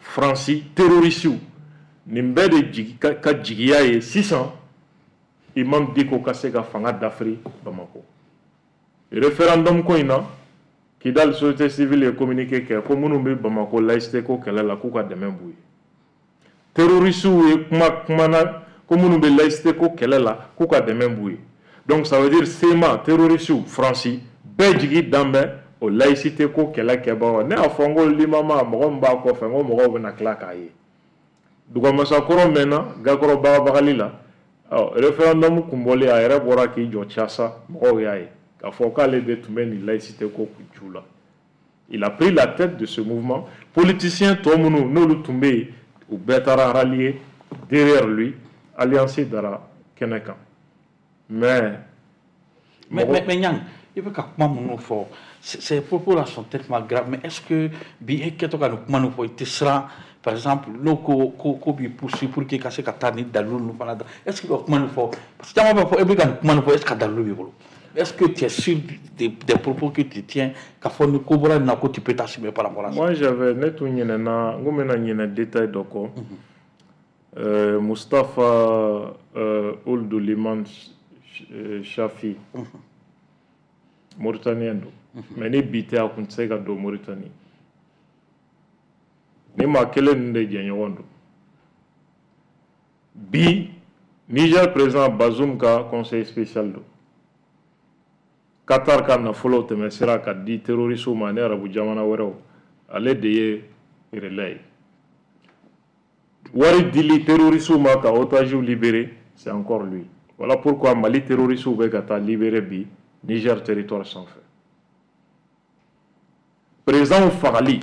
Faransi terrorisiw, nin bɛɛ de jigi ka, ka jigiya ye sisan imam Dicko ka se ka fanga dafiri Bamakɔ. Référendum ko in na, Kidal société civile ye communiqué kɛ ko minnu bɛ Bamakɔ laïcité ko kɛlɛ la, k'u ka dɛmɛ b'u ye. Terrorisiw ye kuma kumana ko minnu bɛ laïcité ko kɛlɛ la, k'u ka dɛmɛ b'u ye. Donc ça veut dire C M A, terrorisiw, Faransi bɛɛ jigi dan bɛ o laïcité ko kɛlɛ kɛbagaw. Ne y'a fɔ n ko limama, mɔgɔ min b'a kɔfɛ, n ko mɔgɔw bɛna tila k'a ye. Dugamasakɔrɔ mɛnna gakɔrɔ bagabagali la. Ɔ référendum kun bɔlen, a yɛrɛ bɔra k'i jɔ casa, mɔgɔw y'a ye k'a fɔ k'ale de tun bɛ nin laïcité ko ju la. Il a pris la tête de ce mouvement. Politicien tɔ minnu n'olu tun bɛ yen, u bɛɛ taara rallier derrière lui. Alliance dara kɛnɛ kan, mais Mais, mais, mais Niang, i bɛ ka kuma minnu fɔ, ces propos là sont tellement graves, mais est-ce que bi e kɛtɔ ka nin kuma ninnu fɔ, i tɛ siran, par exemple, n'o ko ko ko b'i poursuivre pour que i ka se ka taa ni dalilu ninnu fana da? Est-ce que i bɛ kuma nin fɔ? Parce que caman b'a fɔ e bɛ ka nin kuma nin fɔ, est-ce que dalilu b'i bolo? Est-ce que tu es sûr des, des propos que tu tiens, k'a fɔ ni ko bɔra nin na ko tu peux t'assumer par rapport à ça? Moi j'avais, ne tun ɲinɛna, n ko n bɛna ɲinɛ détail dɔ kɔ. euh, Mustapha euh, Ould Liman Shafi, Mauritanien don, mais ni bi tɛ, a kun tɛ se ka don Mauritanie. Ni maa kelen ninnu de jɛɲɔgɔn don. Bi Niger président Bazoum ka conseil spécial don. Qatar ka nafolo tɛmɛ sira ka di terroristew ma ani arabu jamana wɛrɛw, ale de ye relais ye. Wari dili terroristew ma ka otages libérer, c'est encore lui. Voilà pourquoi Mali terroristew bɛ ka taa libérer bi Niger territoire sanfɛ. Président fagali,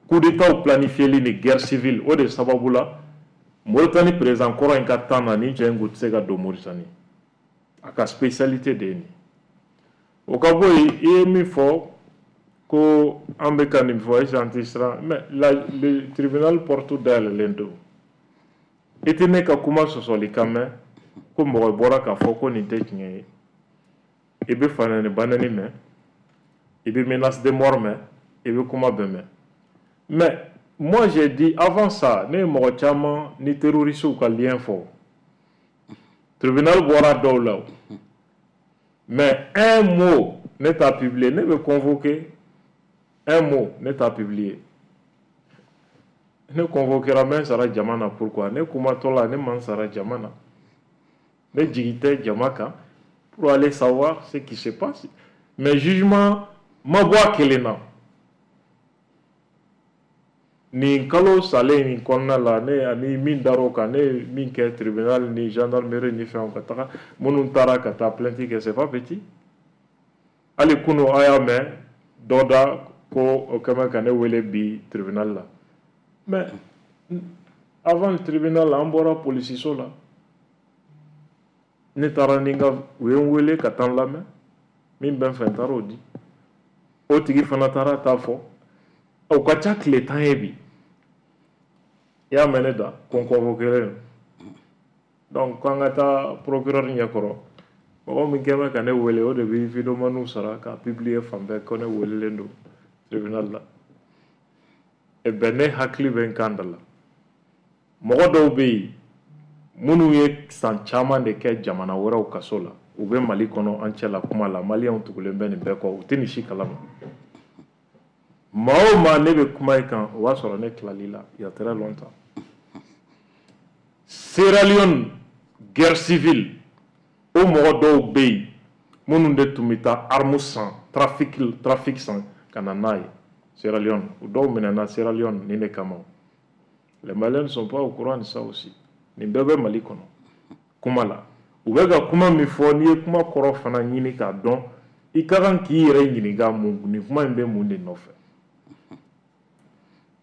coup d'état planifié ni guerre civile, o de sababu la Mauritanie président kɔrɔ in ka temps na, ni cɛ in kun tɛ se ka don Mauritanie. A ka spécialité de ye nin. O ka bɔ yen, i ye min fɔ ko an bɛ ka nin fɔ, est-ce an tɛ siran? Mais la, le tribunal porte dayɛlɛlen don. I tɛ ne ka kuma sɔsɔli kan mɛn ko mɔgɔ bɔra k'a fɔ ko nin tɛ tiɲɛ ye. I bɛ fanɛni banɛni mɛn, i bɛ menace de mort mɛn, i bɛ kuma bɛɛ mɛn. Mais moi j'ai dit avant ça, ne ye mɔgɔ caman ni terroristew ka lien fɔ, tribunal bɔra dɔw la. Mais un mot ne t'a publié. Ne bɛ convoqué, un mot ne t'a publié. Ne convoquera, n bɛ n sara jama na. Pourquoi? Ne kumatɔ la, ne ma n sara jama na, ne jigi tɛ jama kan pour aller savoir ce qui se passe. Mais jugement ma bɔ a kelen na. Nin kalo salen nin kɔnɔna la, ne ani min dar'o kan, ne ye min kɛ tribunal ni gendarmerie ni fɛnw ka taga, minnu taara ka taa plainte kɛ, c'est pas petit. Hali kunu a y'a mɛn dɔ da ko o kɛmɛ ka ne wele bi tribunal la. Mais avant le tribunal, an bɔra polisiso la, ne taara ni n ka, u ye n wele ka taa n lamɛn. Min bɛ n fɛ, n taara o di. O tigi fana taara ta fɔ. O ka ca tile tan ye bi. I y'a mɛn ne da ko n convoqué don. Donc k'an ka taa procureur ɲɛkɔrɔ. Mɔgɔ min kɛn bɛ ka ne wele, o de bɛ vidéomanw sara k'a publier fan bɛɛ ko ne welelen don tribunal la. E bɛn, ne hakili bɛ n kan da la. Mɔgɔ dɔw bɛ yen minnu ye san caman de kɛ jamana wɛrɛw kaso la, u bɛ Mali kɔnɔ an cɛ la kuma la. Maliyɛnw tugulen bɛ nin bɛɛ kɔ, u tɛ nin si kalama. Maa o maa ne bɛ kuma i kan, o b'a sɔrɔ ne tilali la il y a très longtemps. Sierra Leone guerre civile, o mɔgɔ dɔw bɛ yen minnu de tun bɛ taa arme san, trafic trafic san ka na n'a ye. Sierra Leone, u dɔw minɛna Sierra Leone nin de kama. Les Maliens ne sont pas au courant de ça aussi. Nin bɛɛ bɛ Mali kɔnɔ kuma la. U bɛ ka kuma min fɔ, n'i ye kuma kɔrɔ fana ɲini k'a dɔn, i ka kan k'i yɛrɛ ɲininka mun nin kuma in bɛ mun de nɔfɛ.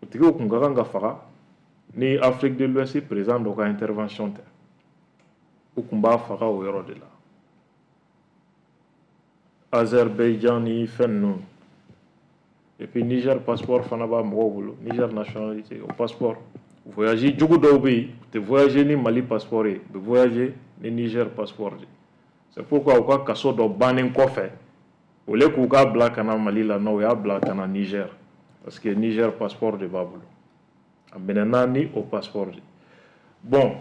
O tigiw kun ka kan ka faga ni Afrique de l'Ouest président dɔ ka intervention tɛ. U kun b'a faga o yɔrɔ de la. Azerbaïdjan ni fɛn ninnu. Et puis Niger passeport fana b'a mɔgɔw bolo, Niger nationalité, o passeport. Voyage jugu dɔw bɛ yen, u tɛ voyager ni Mali passeport ye, u bɛ voyager ni Niger passeport de. C'est pourquoi u ka kaso dɔ bannen kɔfɛ, au lieu k'u k'a bila ka na Mali la, non, u y'a bila ka na Niger. Parce que Niger passeport de b'a bolo. A minɛna ni o passeport de. Bon,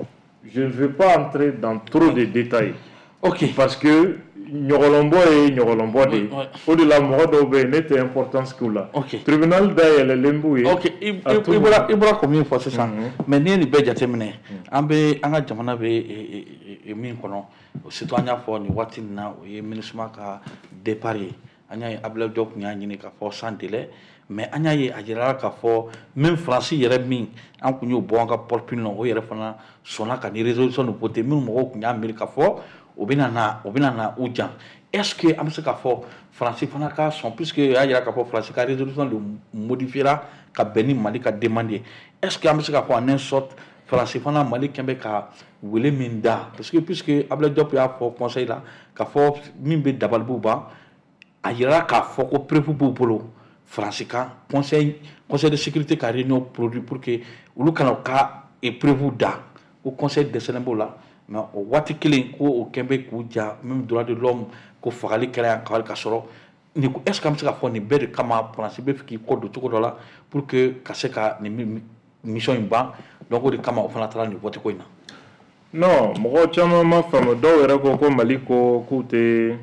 je ne vais pas entrer dans trop de détails. Ok. Parce que ɲɔgɔlɔnbɔ ye ɲɔgɔlɔnbɔ de ye. O de la mɔgɔ dɔw bɛ yen, ne tɛ importance k'u la. Ok. Tribunal dayɛlɛlen b'u ye. Ok, i bɔra i bɔra ko min fɔ sisan, mais n'i ye nin bɛɛ jateminɛ, an bɛ an ka jamana bɛ min kɔnɔ, surtout an y'a fɔ nin waati nin na, o ye MINUSMA ka départ ye. An y'a ye Abdoulaye Diop tun y'a ɲini k'a fɔ sans délai, mais an y'a ye a jirala k'a fɔ même Faransi yɛrɛ min an kun y'o bɔ an ka porte na, o yɛrɛ fana sɔnna ka ni résolution nin voter minnu mɔgɔw tun y'a miiri k'a fɔ o bɛna na o bɛna na u jan. Est-ce que an bɛ se k'a fɔ Faransi fana ka sɔn, puisque y'a jira k'a fɔ Faransi ka résolution de modifiera ka bɛn ni Mali ka demande ye, est-ce que an bɛ se k'a fɔ en un sorte Faransi fana Mali kɛn bɛ ka wele min da, parce que puisque Abdoulaye Diop y'a fɔ conseil la k'a fɔ min bɛ dabalibu ban, a yira k'a fɔ ko preuve b'u bolo Faransi kan conseil conseil de sécurité ka réunion produit pour que olu kana u ka preuve da ko conseil dɛsɛlen b'o la. Mais o waati kelen ko o kɛn bɛ k'u ja même droit de l'homme ko fagali kɛra yan ka sɔrɔ nin ko, est ce que an bɛ se k'a fɔ nin bɛɛ de kama Faransi bɛ fɛ k'i kɔ don cogo dɔ la pour que ka se ka nin mission in ban, donc o de kama o fana taara nin vote ko in na? Non, mɔgɔ caman ma faamu. Dɔw yɛrɛ ko ko Mali ko k'u tɛ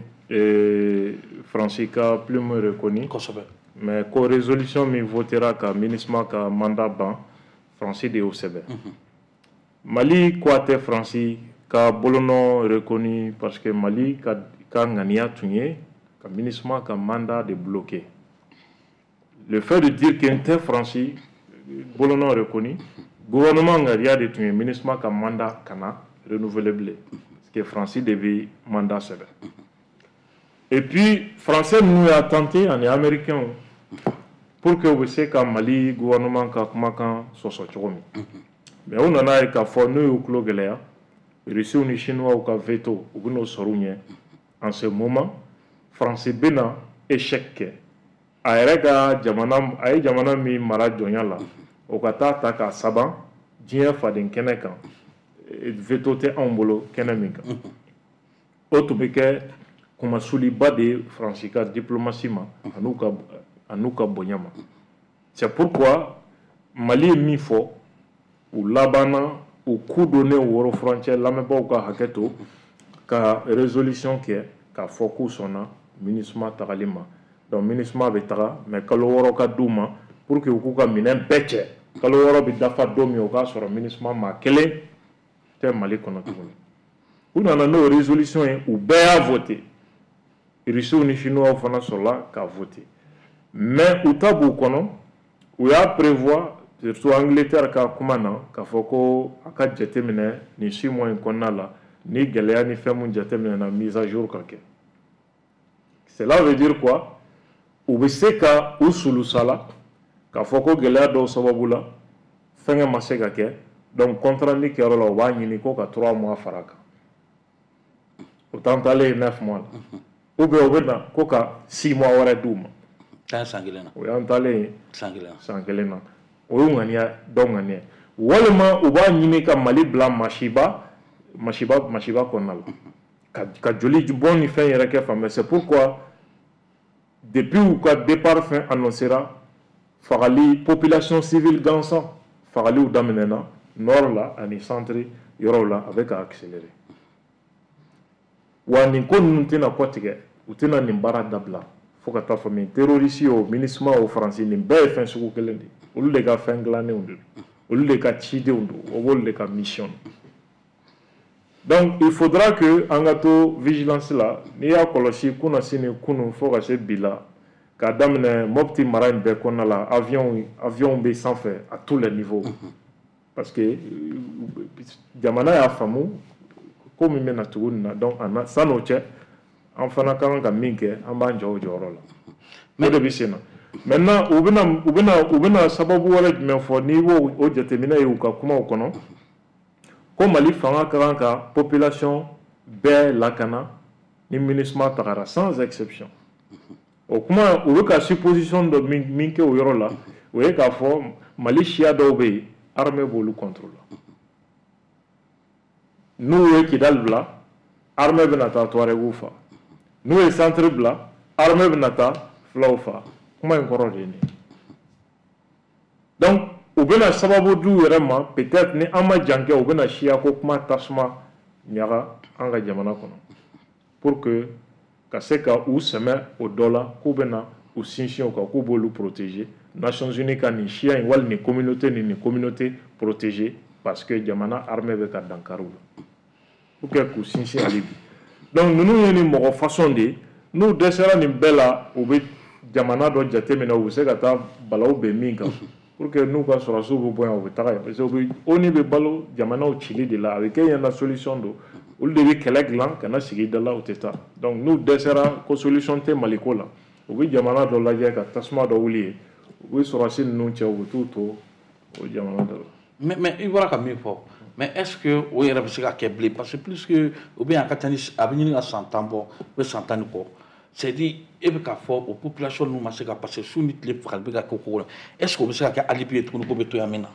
Faransi ka plume reconnu. Kosɛbɛ. Mais ko résolution min votera ka MINUSMA ka mandat ban, Faransi de y'o sɛbɛn. Mali ko a tɛ Faransi ka bolonɔ reconnu parce que Mali ka ka ŋaniya tun ye ka MINUSMA ka mandat de bloquer. Le fait de dire que n tɛ Faransi bolonɔ reconnu, gouvernement ŋaniya de tun ye MINUSMA ka mandat kana renouveler bilen, parce que Faransi de bɛ mandat sɛbɛn. Et puis Français ninnu y'a tenté ani Américains pour que u bɛ se ka Mali gouvernement ka kumakan sɔsɔ cogo min. Mais u nana ye k'a fɔ n'u y'u tulo gɛlɛya, Russiw ni Chinois ka veto u bɛn'o sɔrɔ u ɲɛ. En ce moment, Faransi bɛna échec kɛ. A yɛrɛ ka jamana, a ye jamana min mara jɔnya la, o ka taa ta k'a saban diɲɛ faden kɛnɛ kan, veto tɛ anw bolo kɛnɛ min kan. O tun bɛ kɛ kumasuliba de ye Faransi ka diplomatie ma an'u ka an'u ka bonya ma. C'est pourquoi Mali ye min fɔ, u labanna u ku donnen woro furancɛ, lamɛnbaaw ka hakɛ to, ka résolution kɛ k'a fɔ k'u sɔnna MINUSMA tagali ma. Donc MINUSMA bɛ taga, mais kalo wɔɔrɔ ka d'u ma pour que u k'u ka minɛn bɛɛ cɛ. Kalo wɔɔrɔ bɛ dafa don min, o k'a sɔrɔ MINUSMA maa kelen tɛ Mali kɔnɔ tuguni. U nana n'o résolution ye, u bɛɛ y'a voté. Russiw ni Chinois fana sɔrɔla k'a voté. Mais u ta b'u kɔnɔ, u y'a prévoir, surtout Angleterre ka kuma na, k'a fɔ ko a ka jateminɛ nin six mois in kɔnɔna la, ni gɛlɛya ni fɛn mun jateminɛ na, mise à jour ka kɛ. Cela veut dire quoi? U bɛ se ka u sulusala k'a fɔ ko gɛlɛya dɔw sababu la fɛnkɛ ma se ka kɛ, donc compte rendu kɛyɔrɔ la, u b'a ɲini ko ka trois mois fara a kan, o t'an taalen ye neuf mois la, ou bien u bɛ na ko ka six mois wɛrɛ d'u ma. Taa san kelen na. O y'an taalen ye san kelen na. San kelen na, o y'u ŋaniya dɔw ŋaniya, walima u b'a ɲini ka Mali bila masiba masiba masiba kɔnɔna la, ka ka joli bɔn ni fɛn yɛrɛ kɛ fan bɛɛ. C'est pourquoi depuis u ka départ fɛn annoncera, fagali population civile gansan fagaliw daminɛna nord la ani centre yɔrɔw la, a bɛ ka accélérer. Wa nin ko ninnu tɛna kɔtigɛ, u tɛna nin baara dabila fo ka taa fɔ min terroriste o, MINUSMA o, Faransi, nin bɛɛ ye fɛn sugu kelen de ye. Olu de ka fɛn dilannenw de don, olu de ka cidenw don, o b'olu de ka mission. Donc il faudra que an ka to vigilance la. N'i y'a kɔlɔsi kunasini kunun fo ka se bi la. K'a daminɛ Mopti mara in bɛɛ kɔnɔna la, avion avion bɛ sanfɛ à tous les niveaux, parce que jamana y'a faamu ko min bɛna tugu nin na. Donc san'o cɛ, an fana ka kan ka min kɛ, an b'an jɔ o jɔyɔrɔ la. O de bɛ sen na. Maintenant, u bɛna u bɛna u bɛna sababu wɛrɛ jumɛn fɔ? N'i b'o o jateminɛ ye u ka kumaw kɔnɔ, ko Mali fanga ka kan ka population bɛɛ lakana ni MINUSMA tagara, sans exception. O kuma, u bɛ ka supposition dɔ min min kɛ o yɔrɔ la, o ye k'a fɔ Mali siya dɔw bɛ yen, armée b'olu contrôle. N'u ye Kidali bila, armée bɛna taa Touareg fa. N'u ye centre bila, armée bɛna taa fulaw fa. Kuma in kɔrɔ de ye nin ye. Donc u bɛna sababu d'u yɛrɛ ma. Peut-être ni an ma jan kɛ, u bɛna siya ko kuma tasuma ɲaga an ka jamana kɔnɔ pour que ka se ka u sɛmɛ o dɔ la, k'u bɛna u sinsin o kan, k'u b'olu protéger. Nations Unies ka nin siya in wali nin communauté ni nin communauté protéger, parce que jamana armée bɛ ka dankari u la, pour que k'u sinsin hali bi. Donc ninnu ye nin mɔgɔ façon de ye. N'u dɛsɛra nin bɛɛ la, u bɛ jamana dɔ jateminɛ, u bɛ se ka taa balawu bɛn min kan, pour que n'u ka sɔrɔdasiw bɛ bɔ yan, u bɛ taga yen, parce que u bɛ ONU bɛ balo jamanaw cili de la. A bɛ kɛ ɲɛna solution don. Olu de bɛ kɛlɛ dilan ka na sigi da la, u tɛ taa. Donc n'u dɛsɛra ko solution tɛ Maliko la, u bɛ jamana dɔ lajɛ ka tasuma dɔ wuli yen, u bɛ sɔrɔdasi ninnu cɛ, u bɛ t'u to o jamana dɔ la. mais mais i bɔra ka min fɔ, mais est ce que o yɛrɛ bɛ se ka kɛ bilen? Parce que plus que o bɛ yan, a ka ca ni a bɛ ɲini ka san tan bɔ, u bɛ san tan ni kɔ. C'est à dire, e bɛ k'a fɔ o population ninnu ma se ka, parce que su ni tile fagali bɛ ka kɛ o ko la. Est ce que o bɛ se ka kɛ alibi ye tuguni ko bɛ to yan min na?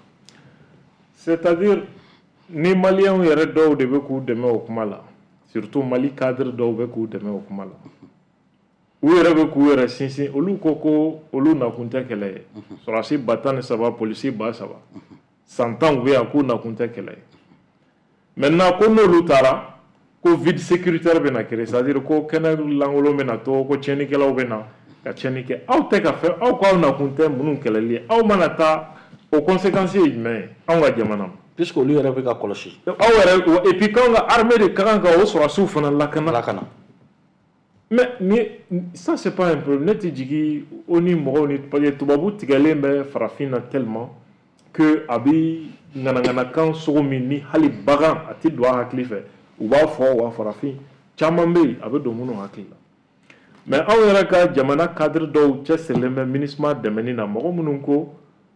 C'est à dire, ni maliyɛnw yɛrɛ dɔw de bɛ k'u dɛmɛ o kuma la, surtout Mali cadre dɔw bɛ k'u dɛmɛ o kuma la, u yɛrɛ bɛ k'u yɛrɛ sinsin. Olu ko ko olu nakun tɛ kɛlɛ ye. Sɔrɔdasi ba tan ni saba, polisi ba saba, san tan u bɛ yan, k'u nakun tɛ kɛlɛ ye. Maintenant, ko n'olu taara, ko vide sécuritaire bɛna créer, c'est à dire ko kɛnɛ lankolon bɛna to, ko tiɲɛnikɛlaw bɛ na ka tiɲɛni kɛ. Aw tɛ ka fɛn, aw ko aw nakun tɛ minnu kɛlɛli ye, aw mana taa, o conséquence ye jumɛn ye anw ka jamana ma? Puisque olu yɛrɛ bɛ ka kɔlɔsi. Aw yɛrɛ, et puis k'anw ka armée de ka kan ka o sɔrɔdasiw fana lakana. Lakana. Mais ni ça, c'est pas un problème. Ne tɛ jigin o ni mɔgɔw ni, parce que tubabu tigɛlen bɛ farafin na tellement que a bi ŋanaŋanakan sogo min ni hali bagan a tɛ don a hakili fɛ, u b'a fɔ. Wa farafin caman bɛ yen, a bɛ don minnu hakili la. Mais anw yɛrɛ ka jamana cadre dɔw cɛsirilen bɛ MINUSMA dɛmɛni na, mɔgɔ minnu ko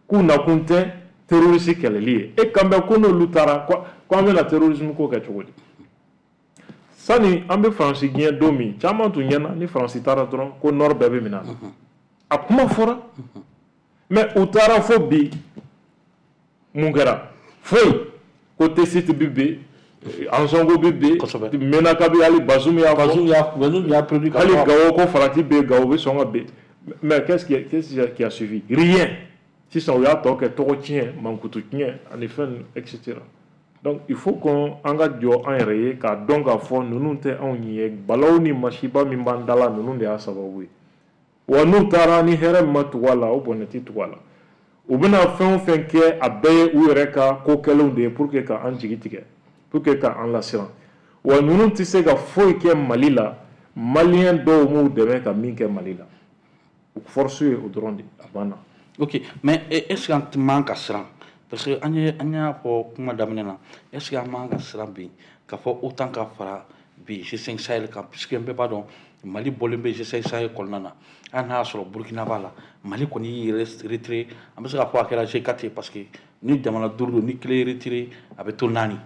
k'u nakun tɛ terroriste kɛlɛli ye. E kan bɛ ko n'olu taara, ko an bɛna terrorisme ko kɛ cogo di? Sani an bɛ Faransi gɛn don min, caman tun ɲɛna ni Faransi taara dɔrɔn, ko nord bɛɛ bɛ minɛ a la. A kuma fɔra, mais u taara, fo bi mun kɛra? Foyi. Ko Tessit bi bin, Ansongo bi bin, Menaka bi, hali Bazoum y'a fɔ. Bazoum y'a Bazoum y'a prévu. Hali Gawo, ko farati bɛ yen, Gawo bɛ sɔn ka bin. Mais qu'est-ce qui qu'est-ce qui a suivi? Rien. Sisan u y'a tɔ kɛ tɔgɔ tiɲɛ, mankutu tiɲɛ ani fɛn, et cetera. Donc il faut qu'on an ka jɔ an yɛrɛ ye k'a dɔn k'a fɔ ninnu tɛ anw ye. Balawu ni masiba min b'an da la, ninnu de y'a sababu ye. Wa n'u taara, ni hɛrɛ min ma tugu a la, o bɔnɛ tɛ tugu a la. U bɛna fɛn o fɛn kɛ, a bɛɛ ye u yɛrɛ ka ko kɛlenw de ye pour que ka an jigi tigɛ, pour que ka an lasiran. Wa ninnu tɛ se ka foyi kɛ Mali la, maliyɛn dɔw m'u dɛmɛ ka min kɛ Mali la. U force ye o dɔrɔn de, a banna. Ok, mais est ce que an man ka siran? Parce que an ye an y'a fɔ kuma daminɛ na, est ce que an man ka siran bi k'a fɔ OTAN ka fara bi G cinq Sahel kan? Puisque bɛɛ b'a dɔn Mali bɔlen bɛ G cinq Sahel kɔnɔna na. Hali n'a y'a sɔrɔ Burukina b'a la, Mali kɔni y'i yɛrɛ retiré. An bɛ se k'a fɔ a kɛra G quatre ye, parce que ni jamana duuru don, ni kelen ye retiré, a bɛ to naani.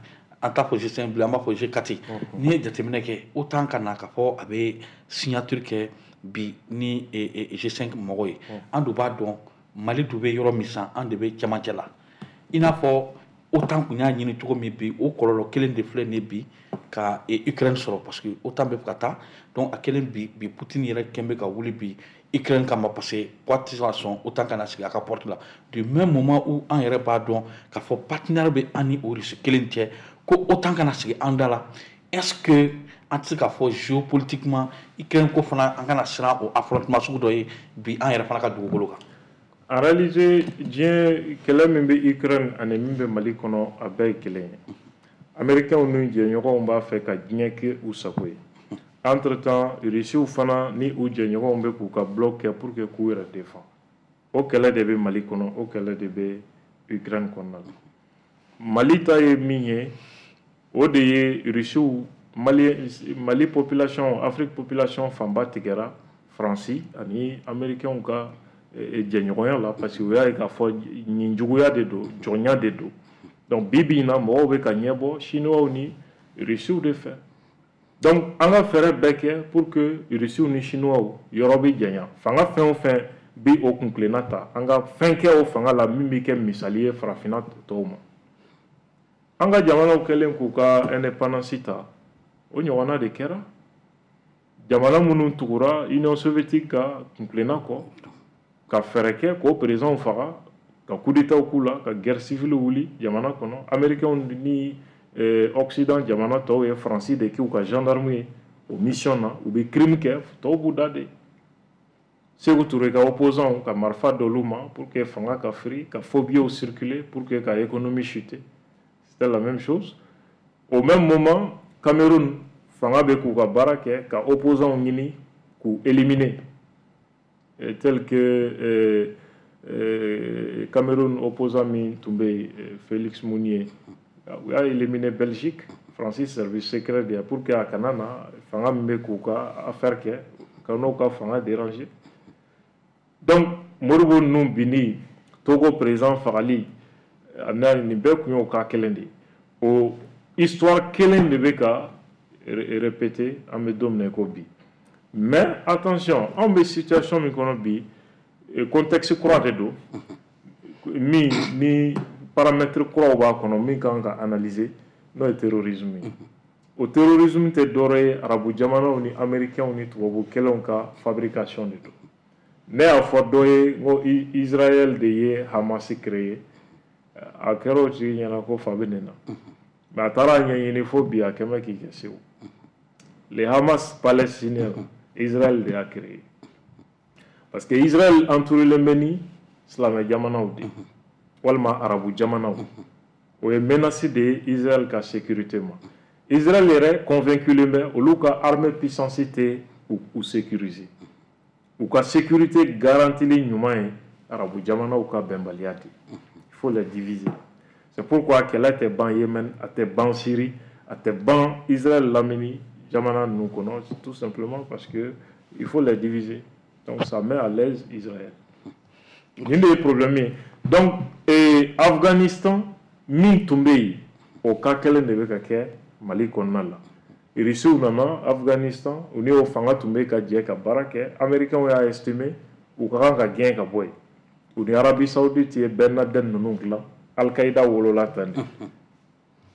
An t'a fɔ G cinq bilen, an b'a fɔ G quatre. N'i ye jateminɛ kɛ, OTAN ka na k'a fɔ a bɛ signature kɛ bi ni G cinq mɔgɔw ye, an dun b'a dɔn Mali dun bɛ yɔrɔ min sisan, an de bɛ cɛmancɛ la. I n'a fɔ OTAN tun y'a ɲini cogo min bi, o kɔlɔlɔ kelen de filɛ nin ye bi ka Ukraine sɔrɔ, parce que OTAN bɛ ka taa. Donc a kelen bi bi, Poutine yɛrɛ kɛn bɛ ka wuli bi Ukraine kama, parce que ko a tɛ se ka sɔn OTAN ka na sigi a ka porte la, du même moment où an yɛrɛ b'a dɔn k'a fɔ partenaire bɛ an ni o Russie kelen cɛ, ko OTAN kana sigi an da la. Est ce que an tɛ se k'a fɔ géopolitiquement, Ukraine ko fana, an kana siran o affrontement sugu dɔ ye bi an yɛrɛ fana ka dugukolo kan? En réalité, diɲɛ kɛlɛ min bɛ Ukraine ani min bɛ Mali kɔnɔ, a bɛɛ ye kelen ye. Américains n'u jɛɲɔgɔnw b'a fɛ ka diɲɛ kɛ u sago ye. Entre temps, Russiw fana ni u jɛɲɔgɔnw bɛ k'u ka bloc kɛ pour que k'u yɛrɛ défend. O kɛlɛ de bɛ Mali kɔnɔ, o kɛlɛ de bɛ Ukraine kɔnɔna la. Mali ta ye min ye, o de ye Russiw, Mali, Mali population, Afrique population fanba tigɛra Faransi ani Américains ka jɛɲɔgɔnya la, parce que u y'a ye k'a fɔ nin juguya de don, jɔnya de don. Donc bi bi in na, mɔgɔw bɛ ka ɲɛbɔ Chinois ni Russiw de fɛ. Donc an ka fɛɛrɛ bɛɛ kɛ pour que Russiw ni Chinois yɔrɔ bɛ janya. Fanga fɛn o fɛn bi o kunkilenna ta, an ka fɛn kɛ o fanga la min bɛ kɛ misali ye farafinna tɔw ma. An ka jamanaw kɛlen k'u ka indépendance ta, o ɲɔgɔnna de kɛra. Jamana minnu tugura Union soviétique ka kunkilenna kɔ, ka fɛɛrɛ kɛ k'o présidents faga, ka coup d'état k'u la, ka guerre civile wuli jamana kɔnɔ. Américains ni eh, Occident jamana tɔw ye Faransi de k'u ka gendarme ye o mission na. U bɛ crime kɛ, tɔw b'u da de. Sékou Touré ka opposants, ka marifa d'olu ma pour que fanga ka firi, ka faux billets circuler pour que ka économie chuter. C'était la même chose. Au même moment, Cameroun fanga bɛ k'u ka baara kɛ ka opposants ɲini k'u éliminer, tel que euh, euh, Cameroun opposant min tun bɛ yen, Félix Mounier, u y'a éliminer Belgique, Francis service secret de ye, pour que a kana na fanga min bɛ k'u ka affaire kɛ, ka n'o ka fanga déranger. Donc Modibo ninnu binni, Togo président fagali, nin bɛɛ kun y'o cas kelen de ye. O histoire kelen de bɛ ka répéter an bɛ don min na i ko bi. Mais attention, anw bɛ situation min kɔnɔ bi, contexte kura de don min ni paramètre kuraw b'a kɔnɔ min kan ka analyser, n'o ye terrorisme ye. O terrorisme tɛ dɔwɛrɛ ye, arabu jamanaw ni américains ni tubabu kɛlenw ka fabrication de don. Ne y'a fɔ dɔ ye n ko Israël de ye Hamas créé. A kɛra o tigi ɲɛna ko fa bɛ nin na, mais a taara ɲɛɲini fo bi, a kɛn bɛ k'i kɛ Segu. Les Hamas palestiniens, Israël de y'a créé, parce que Israël entouré bɛ ni silamɛ jamanaw de walima arabu jamanaw. O ye menace de ye Israël ka sécurité ma. Israël yɛrɛ convaincu bɛ olu ka armée puissance tɛ u sécuriser. U ka sécurité garantili ɲuman ye arabu jamanaw ka bɛnbaliya de. Il faut les diviser. C'est pourquoi kɛlɛ tɛ ban Yémen, a tɛ ban Syrie, a tɛ ban Israël lamini jamana ninnu kɔnɔ, tout simplement parce que il faut les diviser. Donc ça met à l'aise Israël. Nin de ye problème ye. Donc eh, Afghanistan min tun bɛ yen, o cas kelen de bɛ ka kɛ Mali kɔnɔna la. Russiw nana Afghanistan, u ni o fanga tun bɛ ka jɛ ka baara kɛ. Américains y'a estimé u ka kan ka gɛn ka bɔ yen. U ni Arabie Saoudite ye Ben Laden ninnu dilan. Al-Qaïda wolola tan de.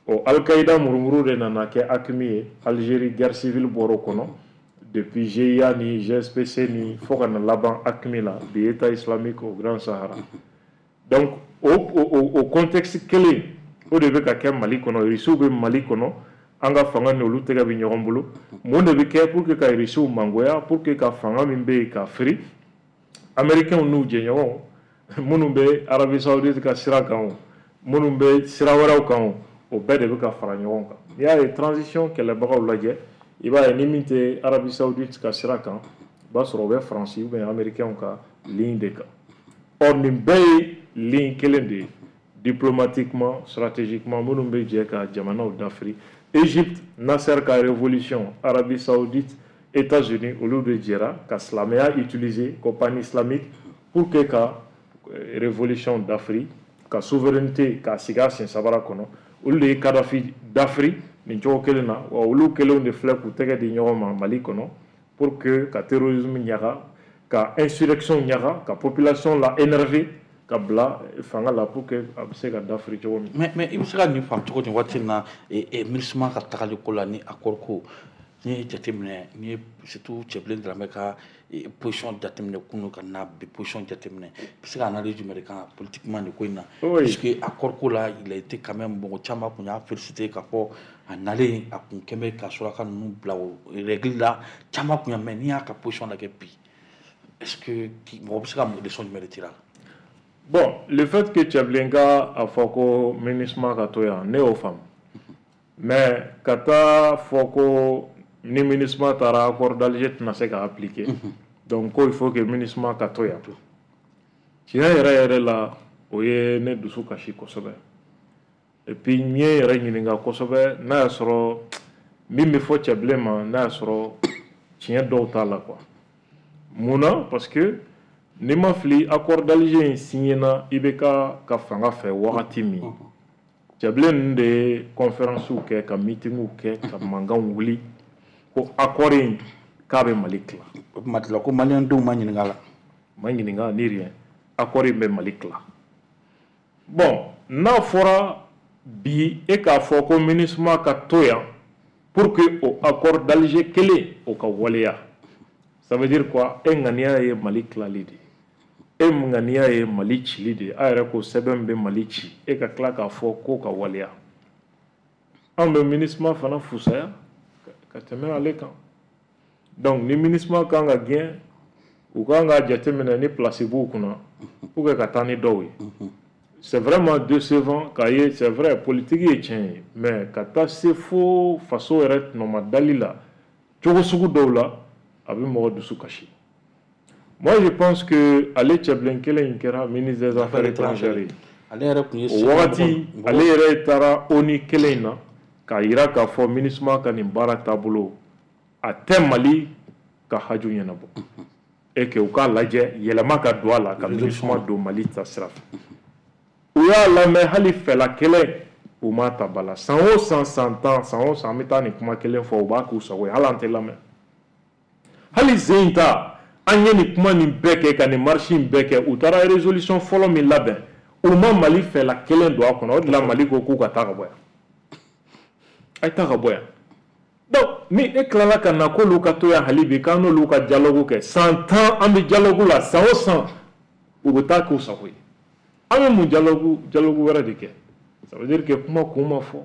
O Al-Qaïda murumuru de nana kɛ AQMI ye. Algérie guerre civile bɔra o kɔnɔ depuis G I A ni G S P C ni fo ka na laban AQMI la bi, État islamique au Grand Sahara. Donc o o o contexte kelen o de bɛ ka kɛ Mali kɔnɔ. Russiw bɛ Mali kɔnɔ, an ka fanga ni olu tɛgɛ bɛ ɲɔgɔn bolo. Mun de bɛ kɛ pour que ka Russiw mangoya, pour que ka fanga min bɛ yen ka firi? Américains n'u jɛɲɔgɔnw minnu bɛ Arabie Saoudite ka sira kan, o minnu bɛ sira wɛrɛw kan, o o bɛɛ de bɛ ka fara ɲɔgɔn kan. N'i y'a ye transition kɛlɛbagaw lajɛ, i b'a ye ni min tɛ Arabie Saoudite ka sira kan, i b'a sɔrɔ o bɛ Faransi ou bien Américains ka ligne de kan. Or nin bɛɛ ye ligne kelen de ye diplomatiquement, stratégiquement, minnu bɛ jɛ ka jamanaw dafiri. Égypte, Nasser ka révolution, Arabie Saoudite, États-Unis, olu de jɛra ka silamɛya utiliser ko pan-islamique pour que ka révolution dafiri, ka souveraineté k'a sigi a sen sabara kɔnɔ. Olu de ye Kadhafi dafiri nin cogo kelen na. Wa olu kelenw de filɛ k'u tɛgɛ di ɲɔgɔn ma Mali kɔnɔ pour que ka terrorisme ɲaga, ka insurrection ɲaga, ka population la énerver, ka bila fanga la pour que a bɛ se ka dafiri cogo min. mais mais i bɛ se ka nin faamu cogo di waati in na, MINUSMA ka tagali ko la ni accord ko? N'i ye jateminɛ, n'i ye surtout Cɛbilen Daramɛ ka position jateminɛ kunun ka na bi position jateminɛ, i bɛ se ka analyse jumɛn de kan politiquement nin ko in na? Puisque accord ko la, il a été quand même, mɔgɔ caman kun y'a félicité k'a fɔ a nalen a kun kɛn bɛ ka suraka ninnu bila o règle la, caman kun y'a. Mais n'i y'a ka position lajɛ bi, est-ce que mɔgɔ bɛ se ka leçon jumɛn de tirer a la? Bon, le fait que Cɛbilen ka a fɔ ko MINUSMA ka to yan, ne y'o faamu. Mais ka taa fɔ ko Ni MINUSMA taara, accord d'Alger tɛna se ka appliquer, donc ko il faut que MINUSMA ka to yan. Tiɲɛ yɛrɛ yɛrɛ la, o ye ne dusu kasi kosɛbɛ. Et puis n ye yɛrɛ ɲininka kosɛbɛ n'a y'a sɔrɔ min bɛ fɔ Cɛbilen ma, n'a y'a sɔrɔ tiɲɛ dɔw t'a la quoi. Mun na? Parce que n'i ma fili, accord d'Alger in signé na I B K ka fanga fɛ wagati min, Cɛbilen ninnu de ye conférence kɛ, ka meeting kɛ, ka mankanw wuli ko accord in k'a bɛ Mali tila. O tuma tila ko maliyɛndenw ma ɲininka la. Ma ɲininka ni rien, accord in bɛ Mali tila. Bon, n'a fɔra bi e k'a fɔ ko MINUSMA ka to yan pour que o accord d'Alger kelen o ka waleya, ça veut dire quoi? E ŋaniya ye Mali tilali de ye, e ŋaniya ye Mali cili de ye. A yɛrɛ ko sɛbɛn bɛ Mali ci, e ka tila k'a fɔ k'o ka waleya. Anw bɛ MINUSMA fana fusaya ka tɛmɛ ale kan. Donc ni MINUSMA kan ka gɛn, u kan k'a jateminɛ ni place b'u kunna pour que ka taa ni dɔw ye. C'est vraiment décevant k'a ye. C'est vrai, politique ye tiɲɛ ye, mais ka taa se fo faso yɛrɛ tɔnɔmadali la cogo sugu dɔw la, a bɛ mɔgɔ dusu kasi. Moi, je pense que ale Cɛbilen kelen in kɛra ministre des Affaires étrangères ye. Ale yɛrɛ tun ye O wagati, ale yɛrɛ taara ONU kelen in na k'a yira k'a fɔ MINUSMA ka nin baara taabolo a tɛ Mali ka haju ɲɛnabɔ et que u k'a lajɛ yɛlɛma ka don a la, ka MINUSMA don Mali ta sira fɛ. U y'a lamɛn, hali fɛla kelen u m'a ta ba la. San o san, san tan, san o san, an bɛ taa nin kuma kelen fɔ, u b'a k'u sago ye, hali an tɛ lamɛn. Hali sen in ta, an ye nin kuma nin bɛɛ kɛ, ka nin marche in bɛɛ kɛ, u taara résolution fɔlɔ min labɛn, u ma Mali fɛla kelen don a kɔnɔ. O de la Mali ko k'u ka taa ka bɔ yan, a ye taa ka bɔ yan. Donc ni e tilala ka na k'olu ka to yan hali bi, k'an n'olu ka dialogue kɛ, san tan an bɛ dialogue la, san o san u bɛ taa k'u sago ye, an bɛ mun dialogue dialogue wɛrɛ de kɛ? Ça veut dire que kuma kun ma fɔ.